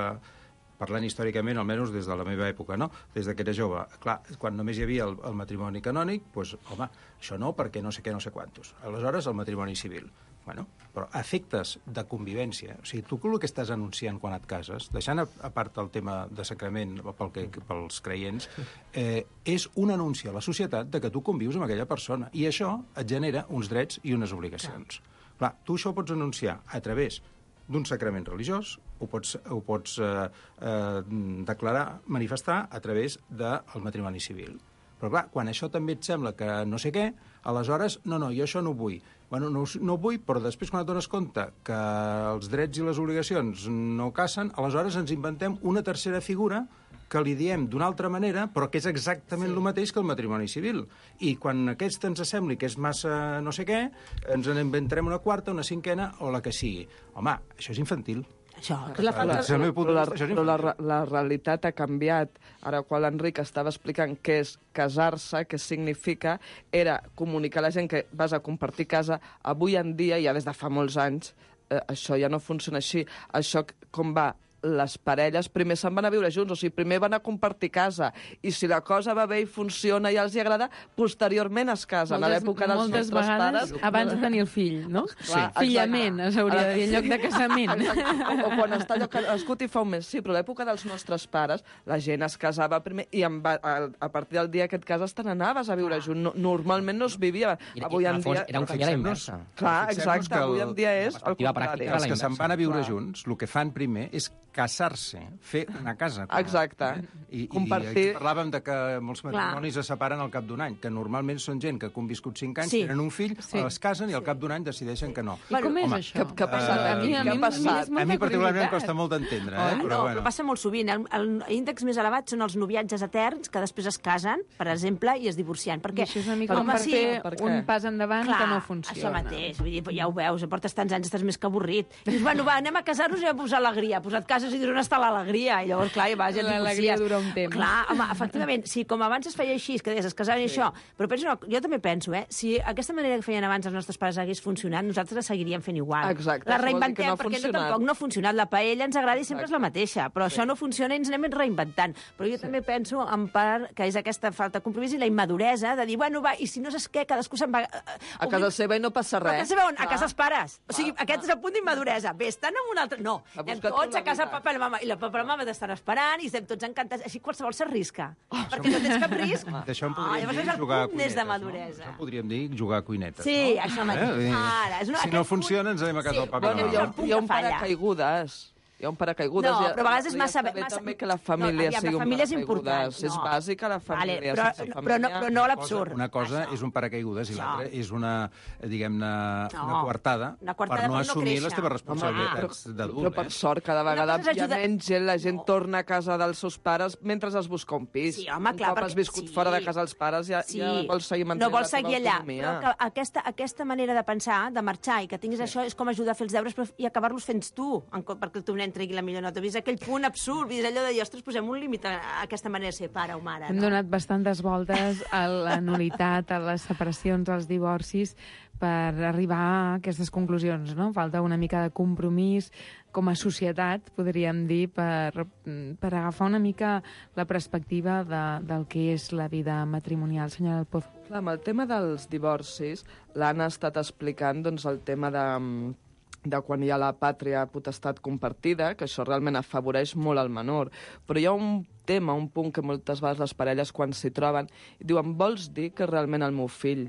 parlant històricament, almenys des de la meva època, no? Des que era jove, clar, quan només hi havia el matrimoni canònic, doncs, home, això no, perquè no sé què, no sé quantos. Aleshores, el matrimoni civil. Bueno, però efectes de convivència, o sigui, tu el que estàs anunciant quan et cases, deixant a part el tema de sacrament pels creients, és un anunci a la societat de que tu convius amb aquella persona, i això et genera uns drets i unes obligacions. Clar, tu això ho pots anunciar a través d'un sacrament religiós, ho pots declarar, manifestar a través del matrimoni civil. Però clar, quan això també et sembla que no sé què, aleshores, no, jo això no ho vull. Bueno, no ho vull, però després quan et dones compte que els drets i les obligacions no casen, aleshores ens inventem una tercera figura que li diem d'una altra manera, però que és exactament el mateix que el matrimoni civil. I quan aquesta ens sembli que és massa no sé què, ens en inventarem una quarta, una cinquena o la que sigui. Home, això és infantil. Això, que és la falta... Però la realitat ha canviat. Ara, quan l'Enric estava explicant què és casar-se, què significa, era comunicar a la gent que vas a compartir casa. Avui en dia, ja des de fa molts anys, això ja no funciona així. Això com va? Les parelles primer se'n van a viure junts, o sigui, primer van a compartir casa, i si la cosa va bé i funciona i els hi agrada, posteriorment es casen. A l'època dels nostres pares... Moltes vegades abans de tenir el fill, no? Sí. Fillament, s'hauria de dir, en lloc de casament. O quan està allò nascut i fa un mes. Sí, però a l'època dels nostres pares, la gent es casava primer i a partir del dia que et cases te n'anaves a viure junt. Normalment no es vivia. Avui en dia... Era un família inversa. Clar, exacte. Avui en dia és el contrari. Els que se'n van a viure junts, el que fan primer és casar-se, fer una casa. Exacte. I aquí parlàvem de que molts matrimonis es separen al cap d'un any, que normalment són gent que ha conviscut 5 anys, tenen un fill, es casen i al cap d'un any decideixen que no. I com és això? Què ha passat aquí? Què ha passat? A mi particularment em costa molt d'entendre. Però passa molt sovint. L'índex més elevat són els noviatges eterns que després es casen, per exemple, i es divorcien. Perquè això és una mica com per fer un pas endavant que no funciona. Això mateix. Vull dir, ja ho veus, portes tants anys, estàs més que avorrit. Dius, bueno, va, anem a casar-nos i a posar alegria. Posa't cases i dius on està l'alegria. I llavors, clar, ja et divorcies. L'alegria dura un temps. Clar, home, efectivament, sí, com abans es feia així, que deies, es casaven i això, però penso, jo també penso, si aquesta manera que feien abans els nostres pares hagués funcionat, nosaltres la seguiríem fent igual. Exacte. La reinventem, perquè tampoc no ha funcionat. La paella ens agrada i sempre és la mateixa, però això no funciona i ens anem reinventant. Però jo també penso, en part, que és aquesta falta de compromís i la immaduresa de dir, bueno, va, i si no saps què, cadascú se'n va... A casa seva i no passa res. A casa seva on? A casa els pares. O sigui, aquest és el punt d'immaduresa. Bé, estan en un altre... No, anem tots a casa papa i la mama. I la papa i la mama t'estan esperant i estem tots encantats. Així qualsevol s'arrisca. Perquè no tens cap risc. D'això en podríem dir jugar a cuinetes. De maduresa. Això podríem dir jugar a cuinetes. Sí, això mateix. Si no funciona, ens anem a casa del papa i la mama. Hi ha un paracaigudes. Hi ha un paracaigudes. No, però a vegades és massa... també que la família sigui un paracaigudes. És bàsica la família. Però no l'absurd. Una cosa és un paracaigudes i l'altra és una, diguem-ne, una coartada per no assumir les teves responsabilitats d'adult. Però per sort, cada vegada hi ha menys gent, la gent torna a casa dels seus pares mentre es busca un pis. Sí, home, clar. Un cop has viscut fora de casa dels pares ja vols seguir mantenint la teva autonomia. Però aquesta manera de pensar, de marxar i que tinguis això, és com ajudar a fer els deures i acabar-los fent tu, perquè el teu nen tregui la millor nota. Vist aquell punt absurd, vist allò de dir, ostres, posem un límit a aquesta manera de ser pare o mare. Hem donat bastantes voltes a la nul·litat, a les separacions, als divorcis, per arribar a aquestes conclusions, no? Falta una mica de compromís com a societat, podríem dir, per agafar una mica la perspectiva del que és la vida matrimonial. Senyora del Pozo. Clar, amb el tema dels divorcis, l'Anna ha estat explicant doncs, el tema de quan hi ha la pàtria potestat compartida, que això realment afavoreix molt el menor. Però hi ha un tema, un punt que moltes vegades les parelles quan s'hi troben diuen, vols dir que realment el meu fill,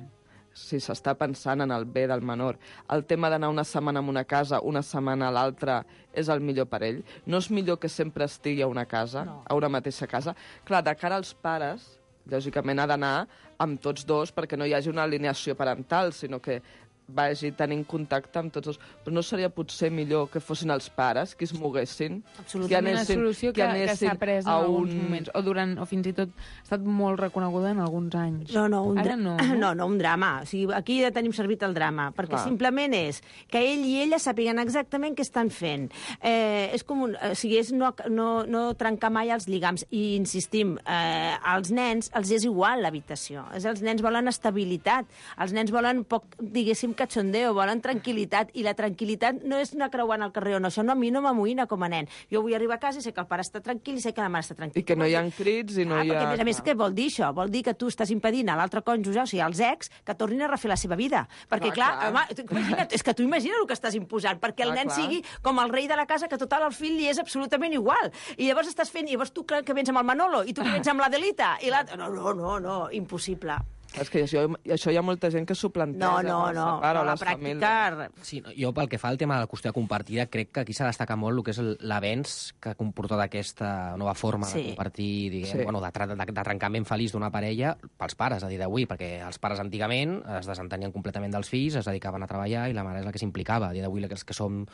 si s'està pensant en el bé del menor, el tema d'anar una setmana a una casa, una setmana a l'altra, és el millor per ell? No és millor que sempre estigui a una casa, a una mateixa casa? Clar, de cara als pares, lògicament ha d'anar amb tots dos perquè no hi hagi una alineació parental, sinó que vagi tenint contacte amb tots dos. Però no seria potser millor que fossin els pares que es moguessin? Absolutament, una solució que s'ha pres en alguns moments, o fins i tot ha estat molt reconeguda en alguns anys. No, un drama. O sigui, aquí ja tenim servit el drama, perquè simplement és que ell i ella sàpiguen exactament què estan fent. És com és no trencar mai els lligams. I insistim, als nens els és igual l'habitació. Els nens volen estabilitat, els nens volen poc, diguéssim, cachondeo, volen tranquil·litat, i la tranquil·litat no és anar creuant al carrer o no, això a mi no m'amoïna com a nen. Jo vull arribar a casa i sé que el pare està tranquil i sé que la mare està tranquil·la. I que no hi ha crits i no hi ha... Perquè, a més, què vol dir això? Vol dir que tu estàs impedint a l'altre cònjuge, o sigui, als ex, que tornin a refer la seva vida. Perquè, clar, home, imagina't, és que tu imagina el que estàs imposant, perquè el nen sigui com el rei de la casa, que total al fill li és absolutament igual. I llavors estàs fent, i llavors tu que vens amb el Manolo, i tu que vens amb l'Adelita, i l'altre... No, impossible. És que això hi ha molta gent que s'ho planteja. No, la pràctica... Sí, jo pel que fa al tema de la custòdia compartida, crec que aquí s'ha destacat molt el que és l'avenç que ha comportat aquesta nova forma de compartir, diguem, de trencament feliç d'una parella pels pares, a dir d'avui, perquè els pares antigament es desentenien completament dels fills, es dedicaven a treballar i la mare és la que s'implicava. A dir d'avui, els que som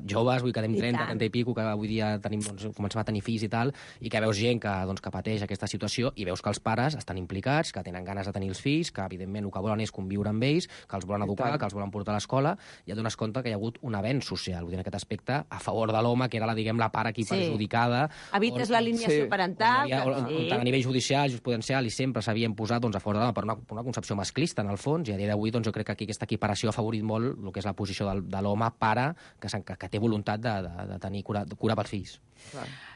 joves, vull que anem 30 i pico, que avui dia comencem a tenir fills i tal, i que veus gent que pateix aquesta situació i veus que els pares estan implicats, que tenen ganes de tenir tenir els fills, que evidentment el que volen és conviure amb ells, que els volen educar, que els volen portar a l'escola, i et dones compte que hi ha hagut un avenç social, vull dir, en aquest aspecte, a favor de l'home, que era la part aquí perjudicada. Evites l'alineació parental. A nivell judicial, jurisprudencial, i sempre s'havien posat a favor de l'home per una concepció masclista, en el fons, i a dia d'avui jo crec que aquí aquesta equiparació ha afavorit molt el que és la posició de l'home pare, que té voluntat de tenir cura pels fills.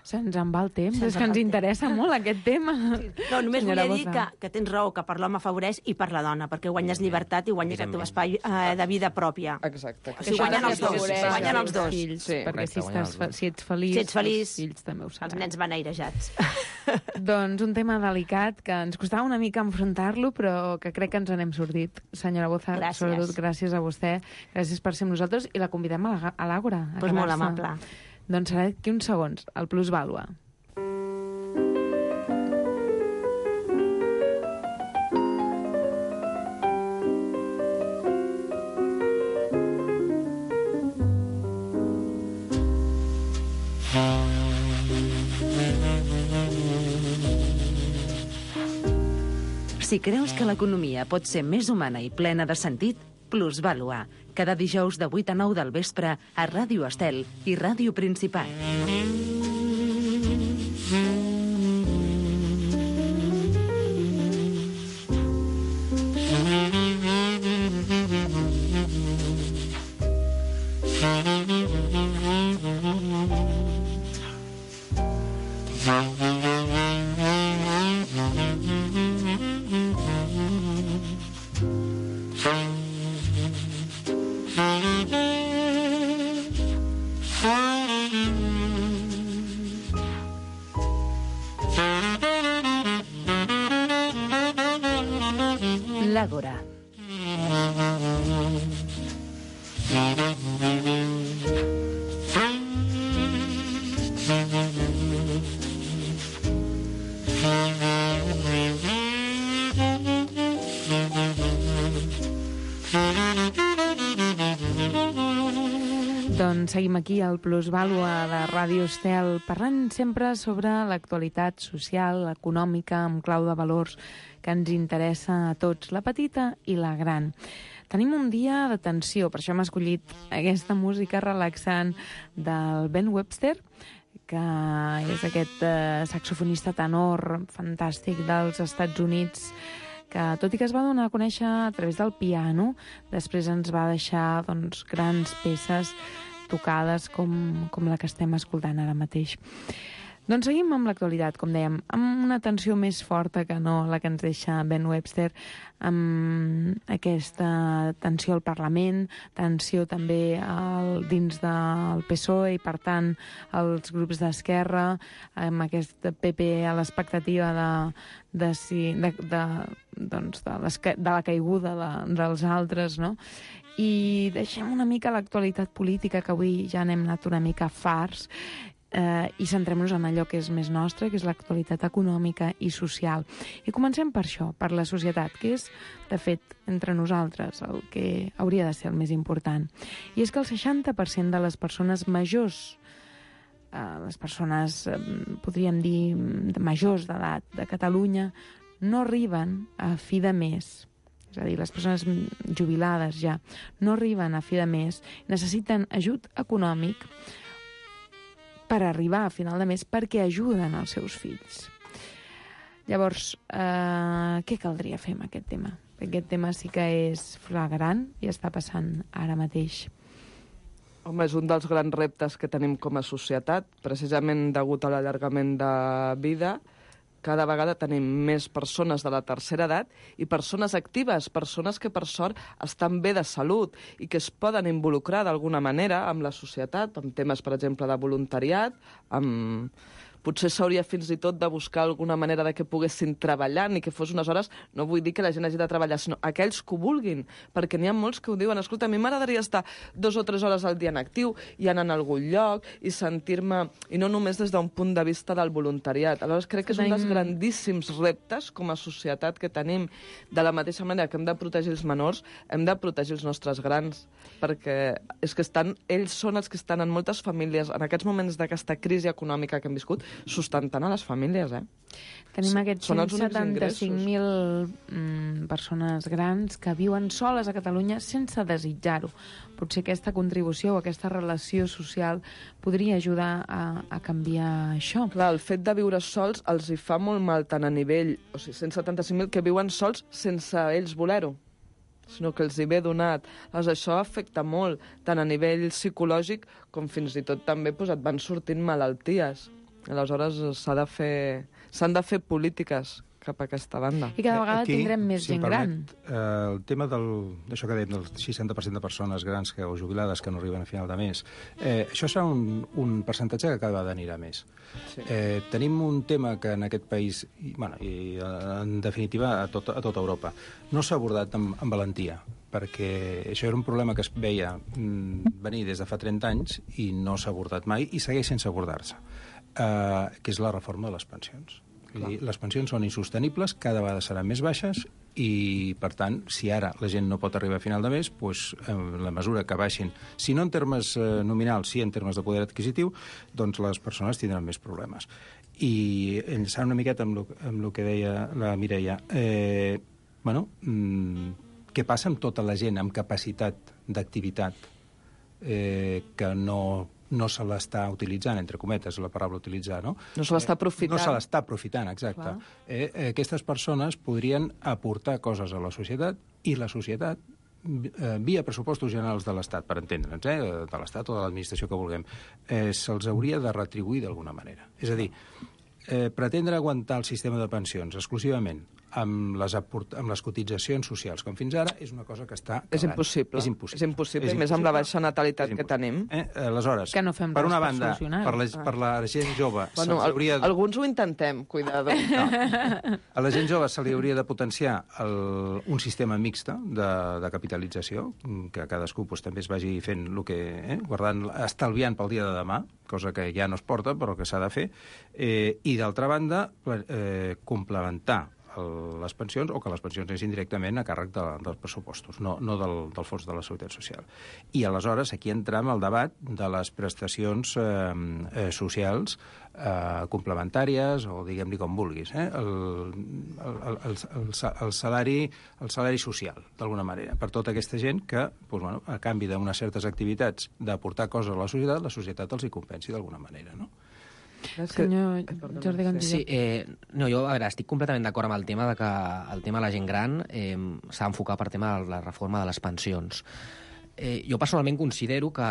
Se'ns en va el temps, és que ens interessa molt aquest tema. No, només volia dir que tens raó, que per l'home afavoreix i per la dona, perquè guanyes llibertat i guanyes el teu espai de vida pròpia. Exacte. O sigui, guanyen els dos. Guanyen els dos. Perquè si ets feliç, els fills també ho seran. Els nens van airejats. Doncs un tema delicat que ens costava una mica enfrontar-lo, però que crec que ens n'hem sortit. Senyora Boza, sobretot gràcies a vostè, gràcies per ser amb nosaltres, i la convidem a l'Àgora. Doncs molt amable. Doncs serà d'aquí uns segons, el Plusvàlua. Si creus que l'economia pot ser més humana i plena de sentit, Plusvàlua, cada dijous de 8 a 9 del vespre a Ràdio Estel i Ràdio Principat. L'Àgora. Doncs seguim aquí al Plusvàlua de Ràdio Estel, parlant sempre sobre l'actualitat social, econòmica, amb clau de valors que ens interessa a tots, la petita i la gran. Tenim un dia de tensió, per això hem escollit aquesta música relaxant del Ben Webster, que és aquest saxofonista tenor fantàstic dels Estats Units, que tot i que es va donar a conèixer a través del piano, després ens va deixar grans peces tocades com la que estem escoltant ara mateix. Doncs seguim amb l'actualitat, com dèiem, amb una tensió més forta que no la que ens deixa Ben Webster, amb aquesta tensió al Parlament, tensió també dins del PSOE i, per tant, els grups d'esquerra, amb aquest PP a l'expectativa de la caiguda dels altres, no? I deixem una mica l'actualitat política, que avui ja n'hem anat una mica farts, i centrem-nos en allò que és més nostre, que és l'actualitat econòmica i social. I comencem per això, per la societat, que és, de fet, entre nosaltres, el que hauria de ser el més important. I és que el 60% de les persones majors, les persones, podríem dir, majors d'edat de Catalunya, no arriben a fi de mes. És a dir, les persones jubilades ja no arriben a fi de mes, necessiten ajut econòmic per arribar a final de mes perquè ajuden els seus fills. Llavors, què caldria fer amb aquest tema? Aquest tema sí que és flagrant i està passant ara mateix. Home, és un dels grans reptes que tenim com a societat, precisament degut a l'allargament de vida. Cada vegada tenim més persones de la tercera edat i persones actives, persones que per sort estan bé de salut i que es poden involucrar d'alguna manera amb la societat, amb temes, per exemple, de voluntariat, amb... Potser s'hauria fins i tot de buscar alguna manera de que poguessin treballar, ni que fos unes hores, no vull dir que la gent hagi de treballar, sinó aquells que ho vulguin, perquè n'hi ha molts que ho diuen, escolta, a mi m'agradaria estar 2 o 3 hores al dia en actiu i anar a algun lloc i sentir-me, i no només des d'un punt de vista del voluntariat. Aleshores crec que és un dels grandíssims reptes com a societat que tenim. De la mateixa manera que hem de protegir els menors, hem de protegir els nostres grans, perquè és que ells són els que estan en moltes famílies, en aquests moments d'aquesta crisi econòmica que hem viscut, sustentant a les famílies, Tenim aquests Són els únics 175.000 persones grans que viuen soles a Catalunya sense desitjar-ho. Potser aquesta contribució o aquesta relació social podria ajudar a canviar això. Clar, el fet de viure sols els hi fa molt mal tant a nivell... O sigui, 175.000 que viuen sols sense ells voler-ho, sinó que els hi ve donat. Llavors, això afecta molt, tant a nivell psicològic com fins i tot també et van sortint malalties. Aleshores, s'han de fer polítiques cap a aquesta banda. I cada vegada tindrem més gent gran. El tema d'això que dèiem, del 60% de persones grans o jubilades que no arriben a final de mes, això serà un percentatge que cada vegada anirà més. Sí. Tenim un tema que en aquest país, i en definitiva a tota Europa, no s'ha abordat amb valentia, perquè això era un problema que es veia venir des de fa 30 anys i no s'ha abordat mai i segueix sense abordar-se, que és la reforma de les pensions. Les pensions són insostenibles, cada vegada seran més baixes i, per tant, si ara la gent no pot arribar a final de mes, doncs, en la mesura que baixin, si no en termes nominals, sí en termes de poder adquisitiu, doncs les persones tindran més problemes. I enllaçant una miqueta amb el que deia la Mireia, què passa amb tota la gent amb capacitat d'activitat que no se l'està utilitzant, entre cometes, la paraula utilitzar, no? No se l'està aprofitant. No se l'està aprofitant, exacte. Aquestes persones podrien aportar coses a la societat i la societat, via pressupostos generals de l'Estat, per entendre'ns, de l'Estat o de l'administració que vulguem, se'ls hauria de retribuir d'alguna manera. És a dir, pretendre aguantar el sistema de pensions exclusivament amb les cotitzacions socials, com fins ara, és una cosa que està... És impossible. És impossible, més amb la baixa natalitat que tenim. Aleshores, per una banda, per la gent jove... Alguns ho intentem, cuidado. A la gent jove se li hauria de potenciar un sistema mixta de capitalització, que cadascú també es vagi fent el que... estalviant pel dia de demà, cosa que ja no es porta, però que s'ha de fer, i d'altra banda, complementar les pensions, o que les pensions anessin directament a càrrec dels pressupostos, no del fons de la Seguretat Social. I aleshores aquí entram al debat de les prestacions socials complementàries, o diguem-li com vulguis, el salari social, d'alguna manera, per tota aquesta gent que, a canvi d'unes certes activitats d'aportar coses a la societat els hi compensi d'alguna manera, no? Senyor Jordi González. Sí, jo, a veure, estic completament d'acord amb el tema de que el tema de la gent gran s'ha d'enfocar per tema de la reforma de les pensions. Jo personalment considero que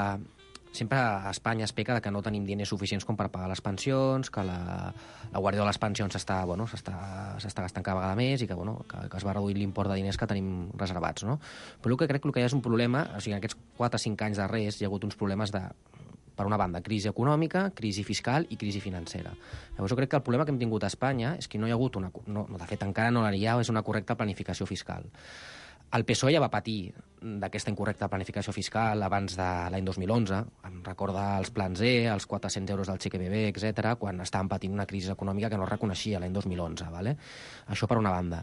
sempre a Espanya es peca de que no tenim diners suficients com per pagar les pensions, que la guàrdia de les pensions s'està gastant cada vegada més i que es va reduir l'import de diners que tenim reservats, no? Però el que crec que hi ha és un problema, o sigui, en aquests 4 o 5 anys darrers hi ha hagut uns problemes per una banda, crisi econòmica, crisi fiscal i crisi financera. Llavors jo crec que el problema que hem tingut a Espanya és que no hi ha hagut de fet encara no n'hi ha, és una correcta planificació fiscal. El PSOE ja va patir d'aquesta incorrecta planificació fiscal abans de l'any 2011. Em recorda els plans E, els 400 euros del xeque bebè, etc., quan estàvem patint una crisi econòmica que no es reconeixia l'any 2011. ¿vale? Això per una banda.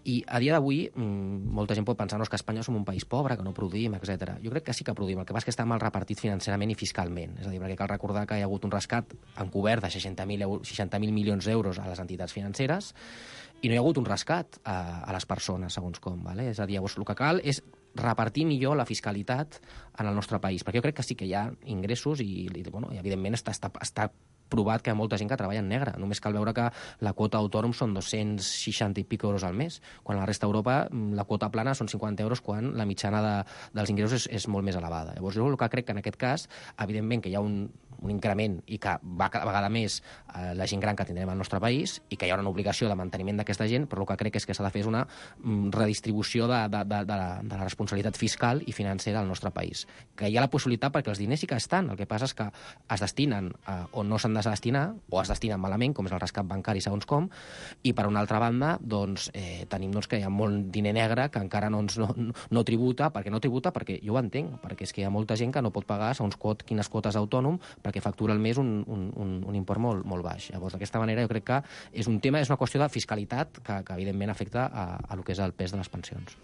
I a dia d'avui, molta gent pot pensar que a Espanya som un país pobre, que no produïm, etc. Jo crec que sí que produïm, el que passa és que està mal repartit financerament i fiscalment. És a dir, perquè cal recordar que hi ha hagut un rescat encobert de 60.000 milions d'euros a les entitats financeres i no hi ha hagut un rescat a les persones, segons com. ¿vale? És a dir, llavors el que cal és repartir millor la fiscalitat en el nostre país, perquè jo crec que sí que hi ha ingressos i evidentment està provat que hi ha molta gent que treballa en negre. Només cal veure que la quota autònom són 260 i pico euros al mes, quan a la resta d'Europa la quota plana són 50 euros, quan la mitjana dels ingressos és molt més elevada. Llavors jo el que crec que en aquest cas, evidentment que hi ha un increment i que va cada vegada més la gent gran que tindrem al nostre país i que hi haurà una obligació de manteniment d'aquesta gent, però el que crec és que s'ha de fer una redistribució de la responsabilitat fiscal i financera al nostre país. Que hi ha la possibilitat perquè els diners sí que estan, el que passa és que es destinen on no s'han de destinar, o es destinen malament, com és el rescat bancari segons com, i per una altra banda tenim que hi ha molt diner negre que encara no tributa. Per què no tributa? Perquè jo ho entenc, perquè és que hi ha molta gent que no pot pagar segons quines quotes d'autònom perquè factura al mes un import molt baix. Llavors, d'aquesta manera, jo crec que és una qüestió de fiscalitat que evidentment afecta a lo que és el pes de les pensions.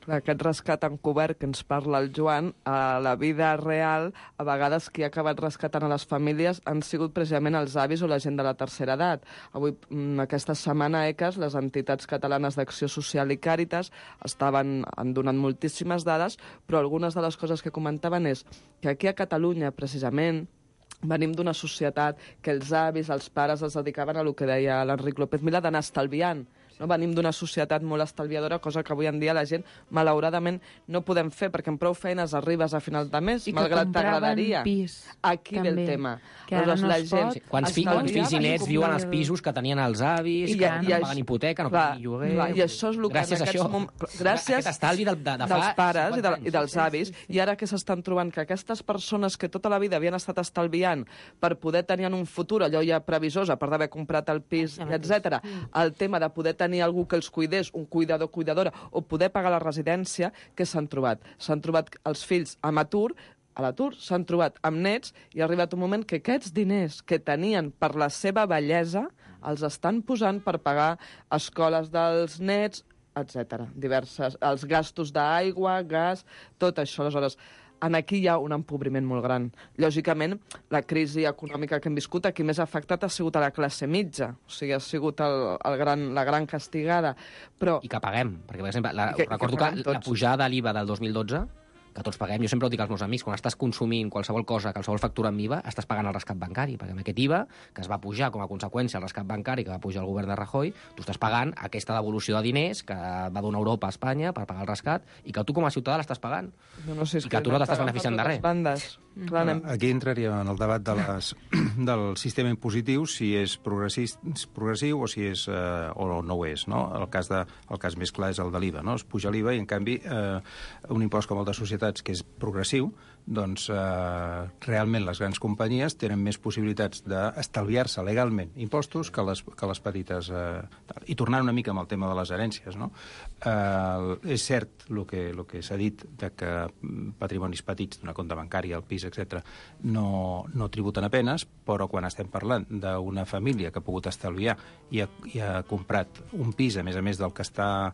Aquest rescat encobert que ens parla el Joan, a la vida real, a vegades qui ha acabat rescatant a les famílies han sigut precisament els avis o la gent de la tercera edat. Avui, aquesta setmana, ECAS, les entitats catalanes d'Acció Social i Càritas han donat moltíssimes dades, però algunes de les coses que comentaven és que aquí a Catalunya, precisament, venim d'una societat que els avis, els pares es dedicaven a el que deia l'Enric López Milà, d'anar estalviant. No? Venim d'una societat molt estalviadora, cosa que avui en dia la gent, malauradament, no podem fer, perquè amb prou feines arribes a final de mes, malgrat t'agradaria. Aquí ve el tema. Que ara no es pot. Quants fills i nets viuen als pisos que tenien els avis, que no paguen hipoteca, no paguen lloguer... I això és el que en aquests moments... Gràcies dels pares i dels avis, i ara que s'estan trobant que aquestes persones que tota la vida havien estat estalviant per poder tenir en un futur, allò ja previsors, a part d'haver comprat el pis, etc., el tema de poder tenir algú que els cuidés, un cuidador, cuidadora, o poder pagar la residència, que s'han trobat? S'han trobat els fills a l'atur, s'han trobat amb nets, i ha arribat un moment que aquests diners que tenien per la seva bellesa els estan posant per pagar escoles dels nets, etc. Els gastos d'aigua, gas, tot això. Aleshores, aquí hi ha un empobriment molt gran. Lògicament, la crisi econòmica que hem viscut, aquí més afectat ha sigut a la classe mitja, o sigui, ha sigut la gran castigada. Però... I que paguem, perquè, per exemple, recordo que la pujada de l'IVA del 2012, que tots paguem, jo sempre ho dic als meus amics, quan estàs consumint qualsevol cosa, qualsevol factura amb IVA, estàs pagant el rescat bancari, perquè amb aquest IVA, que es va pujar com a conseqüència el rescat bancari que va pujar el govern de Rajoy, tu estàs pagant aquesta devolució de diners que va donar Europa a Espanya per pagar el rescat, i que tu com a ciutadà l'estàs pagant. No sé, i que tu no t'estàs beneficiant de res. Aquí entraria en el debat del sistema impositiu, si és progressiu o si és o no ho és. No? El cas més clar és el de l'IVA. No? Es puja l'IVA i, en canvi, un impost com el de societats, que és progressiu, doncs realment les grans companyies tenen més possibilitats d'estalviar-se legalment impostos que les petites. I tornant una mica amb el tema de les herències, no? És cert el que s'ha dit de que patrimonis petits d'una compte bancària, el pis, etc., no tributen a penes, però quan estem parlant d'una família que ha pogut estalviar i ha comprat un pis, a més del que està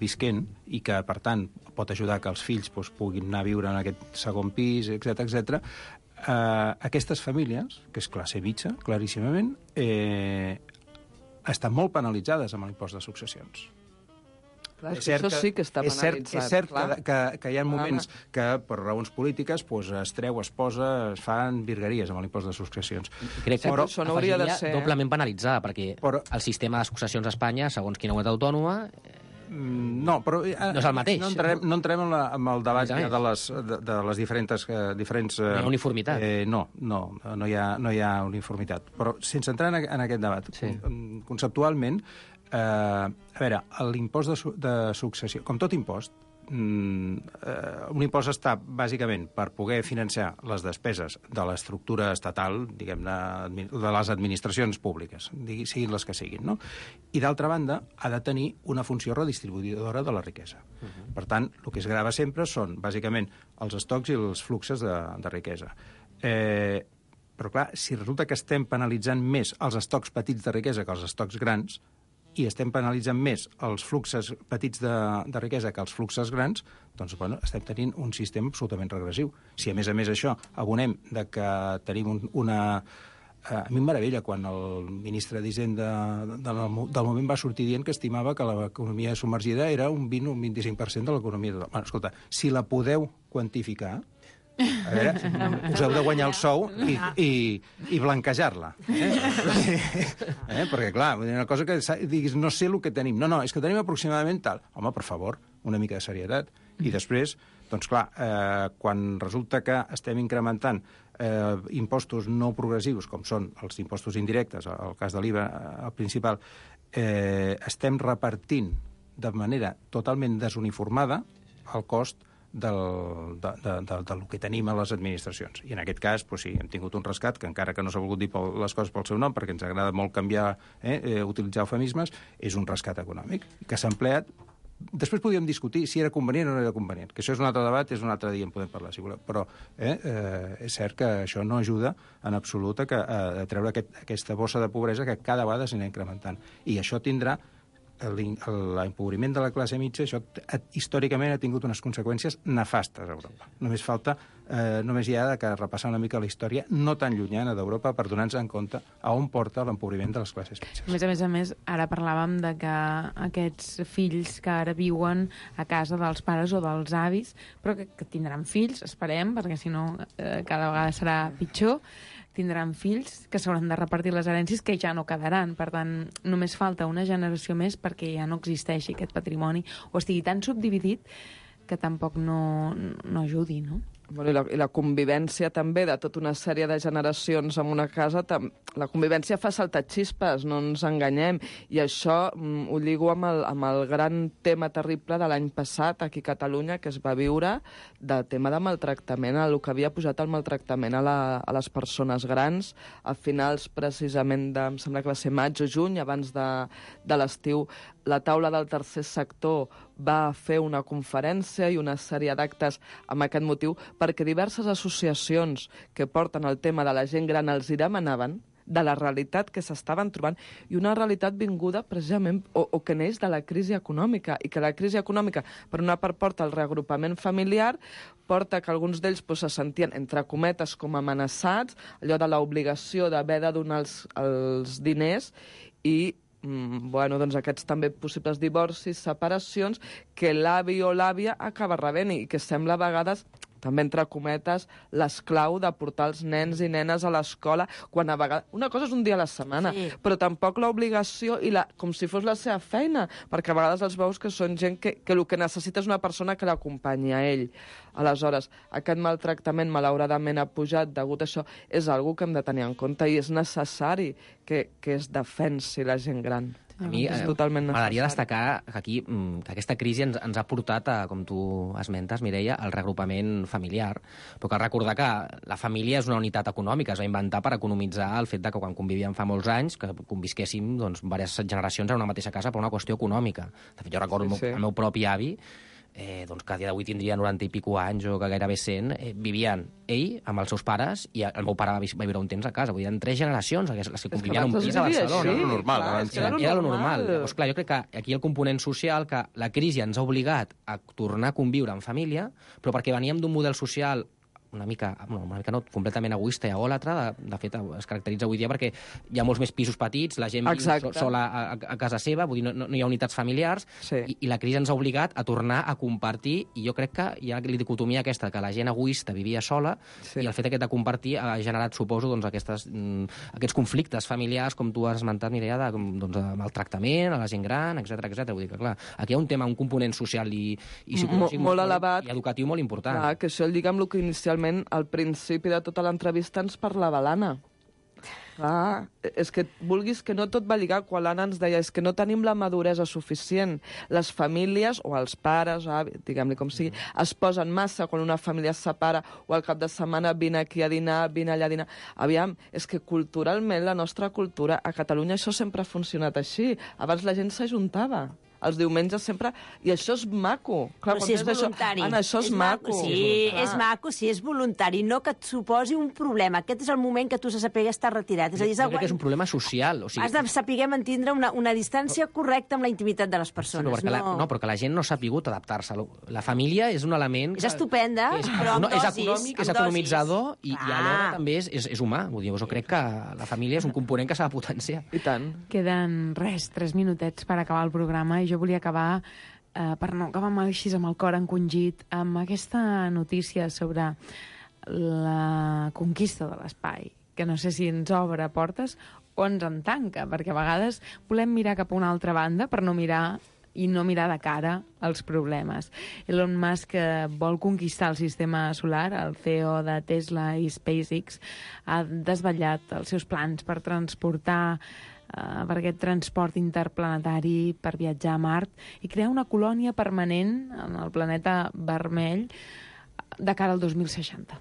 visquent, i que, per tant, pot ajudar que els fills puguin anar a viure en aquest segon pis, etc. Aquestes famílies, que és classe mitja, claríssimament, estan molt penalitzades amb l'impost de successions. Clar, això sí que està penalitzat. És cert que hi ha moments que, per raons polítiques, es treu, es posa, es fan virgueries amb l'impost de successions. Crec que això no hauria de ser doblement penalitzada, perquè el sistema de successions a Espanya, segons quina comunitat autònoma... No, però no és el mateix. No entrem en el debat de les diferents... No hi ha uniformitat. No hi ha uniformitat. Però sense entrar en aquest debat, conceptualment, a veure, l'impost de successió, com tot impost, un impost està bàsicament per poder financiar les despeses de l'estructura estatal, diguem-ne, de les administracions públiques, siguin les que siguin, no? I, d'altra banda, ha de tenir una funció redistribuïdora de la riquesa. Per tant, el que es grava sempre són, bàsicament, els estocs i els fluxos de riquesa. Però, clar, si resulta que estem penalitzant més els estocs petits de riquesa que els estocs grans, i estem penalitzant més els fluxos petits de riquesa que els fluxos grans, doncs, estem tenint un sistema absolutament regressiu. Si, a més, això abonem de que tenim una... A mi em meravella quan el ministre d'Hisenda del moment va sortir dient que estimava que l'economia submergida era un 20 o un 25% de l'economia total. Bueno, escolta, si la podeu quantificar... A veure, us heu de guanyar el sou i blanquejar-la. Perquè, clar, una cosa que diguis, no sé el que tenim. No, és que tenim aproximadament tal. Home, per favor, una mica de serietat. I després, doncs clar, quan resulta que estem incrementant impostos no progressius, com són els impostos indirectes, el cas de l'IVA, el principal, estem repartint de manera totalment desuniformada el cost del que tenim a les administracions. I en aquest cas, sí, hem tingut un rescat que, encara que no s'ha volgut dir les coses pel seu nom, perquè ens agrada molt canviar, utilitzar eufemismes, és un rescat econòmic que s'ha empleat. Després podíem discutir si era convenient o no era convenient, que això és un altre debat, és un altre dia en podem parlar, si voleu. Però és cert que això no ajuda en absolut a treure aquesta bossa de pobresa que cada vegada s'anirà incrementant. I això tindrà l'empobriment de la classe mitja, això històricament ha tingut unes conseqüències nefastes a Europa. Només hi ha que repassar una mica la història no tan llunyana d'Europa per donar-nos en compte a on porta l'empobriment de les classes mitges. A més, ara parlàvem de que aquests fills que ara viuen a casa dels pares o dels avis, però que tindran fills, esperem, perquè si no cada vegada serà pitjor, tindran fills que s'hauran de repartir les herències que ja no quedaran. Per tant, només falta una generació més perquè ja no existeixi aquest patrimoni o estigui tan subdividit que tampoc no ajudi, no? Bueno, i la convivència també de tota una sèrie de generacions en una casa, la convivència fa saltar xispes, no ens enganyem, i això ho lligo amb el gran tema terrible de l'any passat aquí a Catalunya, que es va viure del tema de maltractament, el que havia pujat el maltractament a les persones grans a finals precisament em sembla que va ser maig o juny, abans de l'estiu. La taula del tercer sector va fer una conferència i una sèrie d'actes amb aquest motiu perquè diverses associacions que porten el tema de la gent gran els hi demanaven de la realitat que s'estaven trobant i una realitat vinguda precisament o que neix de la crisi econòmica i que la crisi econòmica per una part porta el reagrupament familiar, porta que alguns d'ells se sentien entre cometes com amenaçats, allò de l'obligació d'haver de donar els diners i doncs aquests també possibles divorcis, separacions, que l'avi o l'àvia acaba rebent i que sembla a vegades, també entre cometes, l'esclau de portar els nens i nenes a l'escola, quan a vegades... Una cosa és un dia a la setmana, però tampoc l'obligació i com si fos la seva feina, perquè a vegades els veus que són gent que el que necessita és una persona que l'acompanyi a ell. Aleshores, aquest maltractament malauradament ha pujat degut a això, és algo que hem de tenir en compte i és necessari que es defensi la gent gran. A mi m'agradaria destacar que aquí que aquesta crisi ens ha portat, com tu esmentes, Mireia, al reagrupament familiar. Però cal recordar que la família és una unitat econòmica, es va inventar per economitzar el fet de que quan convivíem fa molts anys, que convisquéssim diverses generacions en una mateixa casa per una qüestió econòmica. De fet, jo recordo el meu propi avi, que a dia d'avui tindria 90 i pico anys o que gairebé 100, vivien ell amb els seus pares i el meu pare va viure un temps a casa. Vull dir, eren 3 generacions les que convivien un pis a Barcelona. Era lo normal. Llavors, clar, jo crec que aquí el component social, que la crisi ens ha obligat a tornar a conviure en família, però perquè veníem d'un model social una mica no, completament egoista i egòlatra, de fet es caracteritza avui dia perquè hi ha molts més pisos petits, la gent viu sola a casa seva, vull dir, no hi ha unitats familiars, i la crisi ens ha obligat a tornar a compartir, i jo crec que hi ha la dicotomia aquesta, que la gent egoista vivia sola, i el fet aquest de compartir ha generat, suposo, aquests conflictes familiars, com tu has esmentat, Mireia, de maltractament a la gent gran, etc. Vull dir que, clar, aquí hi ha un tema, un component social i psicològic molt elevat i educatiu molt important. Clar, que això lliga amb el que inicialment al principi de tota l'entrevista ens parlava l'Anna. Clar, és que vulguis que no tot va lligar quan l'Anna ens deia és que no tenim la maduresa suficient. Les famílies, o els pares, diguem-li com sigui, es posen massa quan una família es separa o al cap de setmana vine aquí a dinar, vine allà a dinar. Aviam, és que culturalment la nostra cultura, a Catalunya això sempre ha funcionat així. Abans la gent s'ajuntava. Els diumenges sempre... I això és maco. Clar, però si és voluntari. Anna, això és maco. Sí, és maco, sí, és voluntari. No que et suposi un problema. Aquest és el moment que tu has de saber estar retirat. Jo crec que és un problema social. Has de saber mantindre una distància correcta amb la intimitat de les persones. Però que la gent no s'ha sabut adaptar-se. La família és un element... És estupenda, però amb dosis. És econòmic, és economitzador i alhora també és humà. Vull dir, jo crec que la família és un component que s'ha de potenciar. I tant. Queden 3 minutets per acabar el programa i jo volia acabar, per no acabar així amb el cor encongit, amb aquesta notícia sobre la conquista de l'espai, que no sé si ens obre portes o ens en tanca, perquè a vegades volem mirar cap a una altra banda per no mirar de cara als problemes. Elon Musk vol conquistar el sistema solar. El CEO de Tesla i SpaceX ha desvetllat els seus plans per transportar per aquest transport interplanetari per viatjar a Mart i crear una colònia permanent en el planeta vermell de cara al 2060.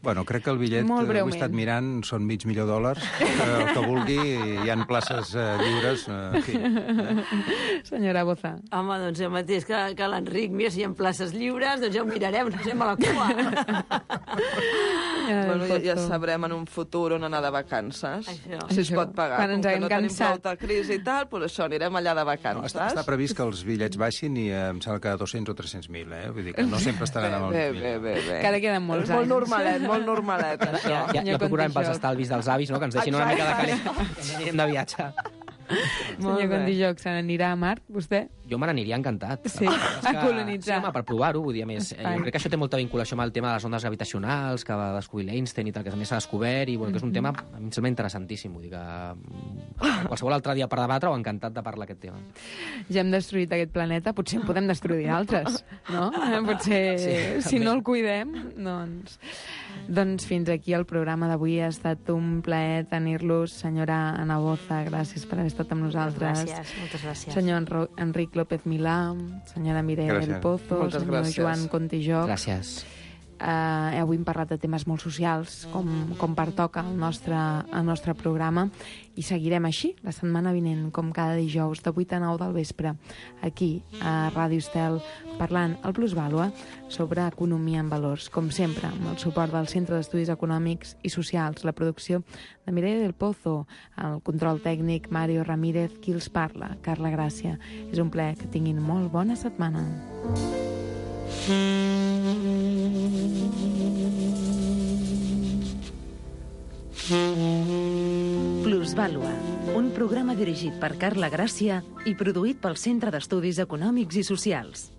Bueno, crec que el bitllet que he estat mirant són $500,000. El que vulgui, hi ha places lliures. Senyora Boza. Home, doncs el mateix que l'Enric. Mira, si hi ha places lliures, doncs ja ho mirarem, anem a la cua. Bueno, ja sabrem en un futur on anar de vacances. Si es pot pagar. Quan ens Com que haguem no tenim cansat. prou crisi i tal, doncs això, anirem allà de vacances. Està previst que els bitllets baixin i em sembla que 200 o 300.000, Vull dir que no sempre estaran amb el bitllets. Bé. Encara queden molts anys. Molt normalet, això. Ja procurarem pels estalvis dels avis, no?, que ens deixin una mica de calent. Que anirem de viatge. Senyor Condijoc, se n'anirà a Mart, vostè? Jo me n'aniria encantat. Sí, a colonitzar. Sí, home, per provar-ho, vull dir, a més, jo crec que això té molta vinculació amb el tema de les ondes gravitacionals, que va descobrir l'Einstein i tal, que també s'ha descobert, i bueno, que és un tema, a mi em sembla interessantíssim, vull dir que qualsevol altre dia per debatre-ho, encantat de parlar aquest tema. Ja hem destruït aquest planeta, potser en podem destruir altres, no? Potser, si no el cuidem, doncs fins aquí el programa d'avui. Ha estat un plaer tenir-los. Senyora Ana Boza, gràcies per haver estat amb nosaltres. Moltes gràcies. Senyor Enric López Milà, senyora Mireia del Pozo, senyor Joan Contijoc. Gràcies. Avui hem parlat de temes molt socials, com pertoca al nostre programa, i seguirem així la setmana vinent, com cada dijous, de 8 a 9 del vespre, aquí a Ràdio Estel, parlant al Plusvàlua sobre economia en valors, com sempre, amb el suport del Centre d'Estudis Econòmics i Socials, la producció de Mireia del Pozo, el control tècnic Mario Ramírez, qui els parla, Carla Gràcia. És un plaer, que tinguin molt bona setmana. Plusvàlua, un programa dirigit per Carla Gràcia i produït pel Centre d'Estudis Econòmics i Socials.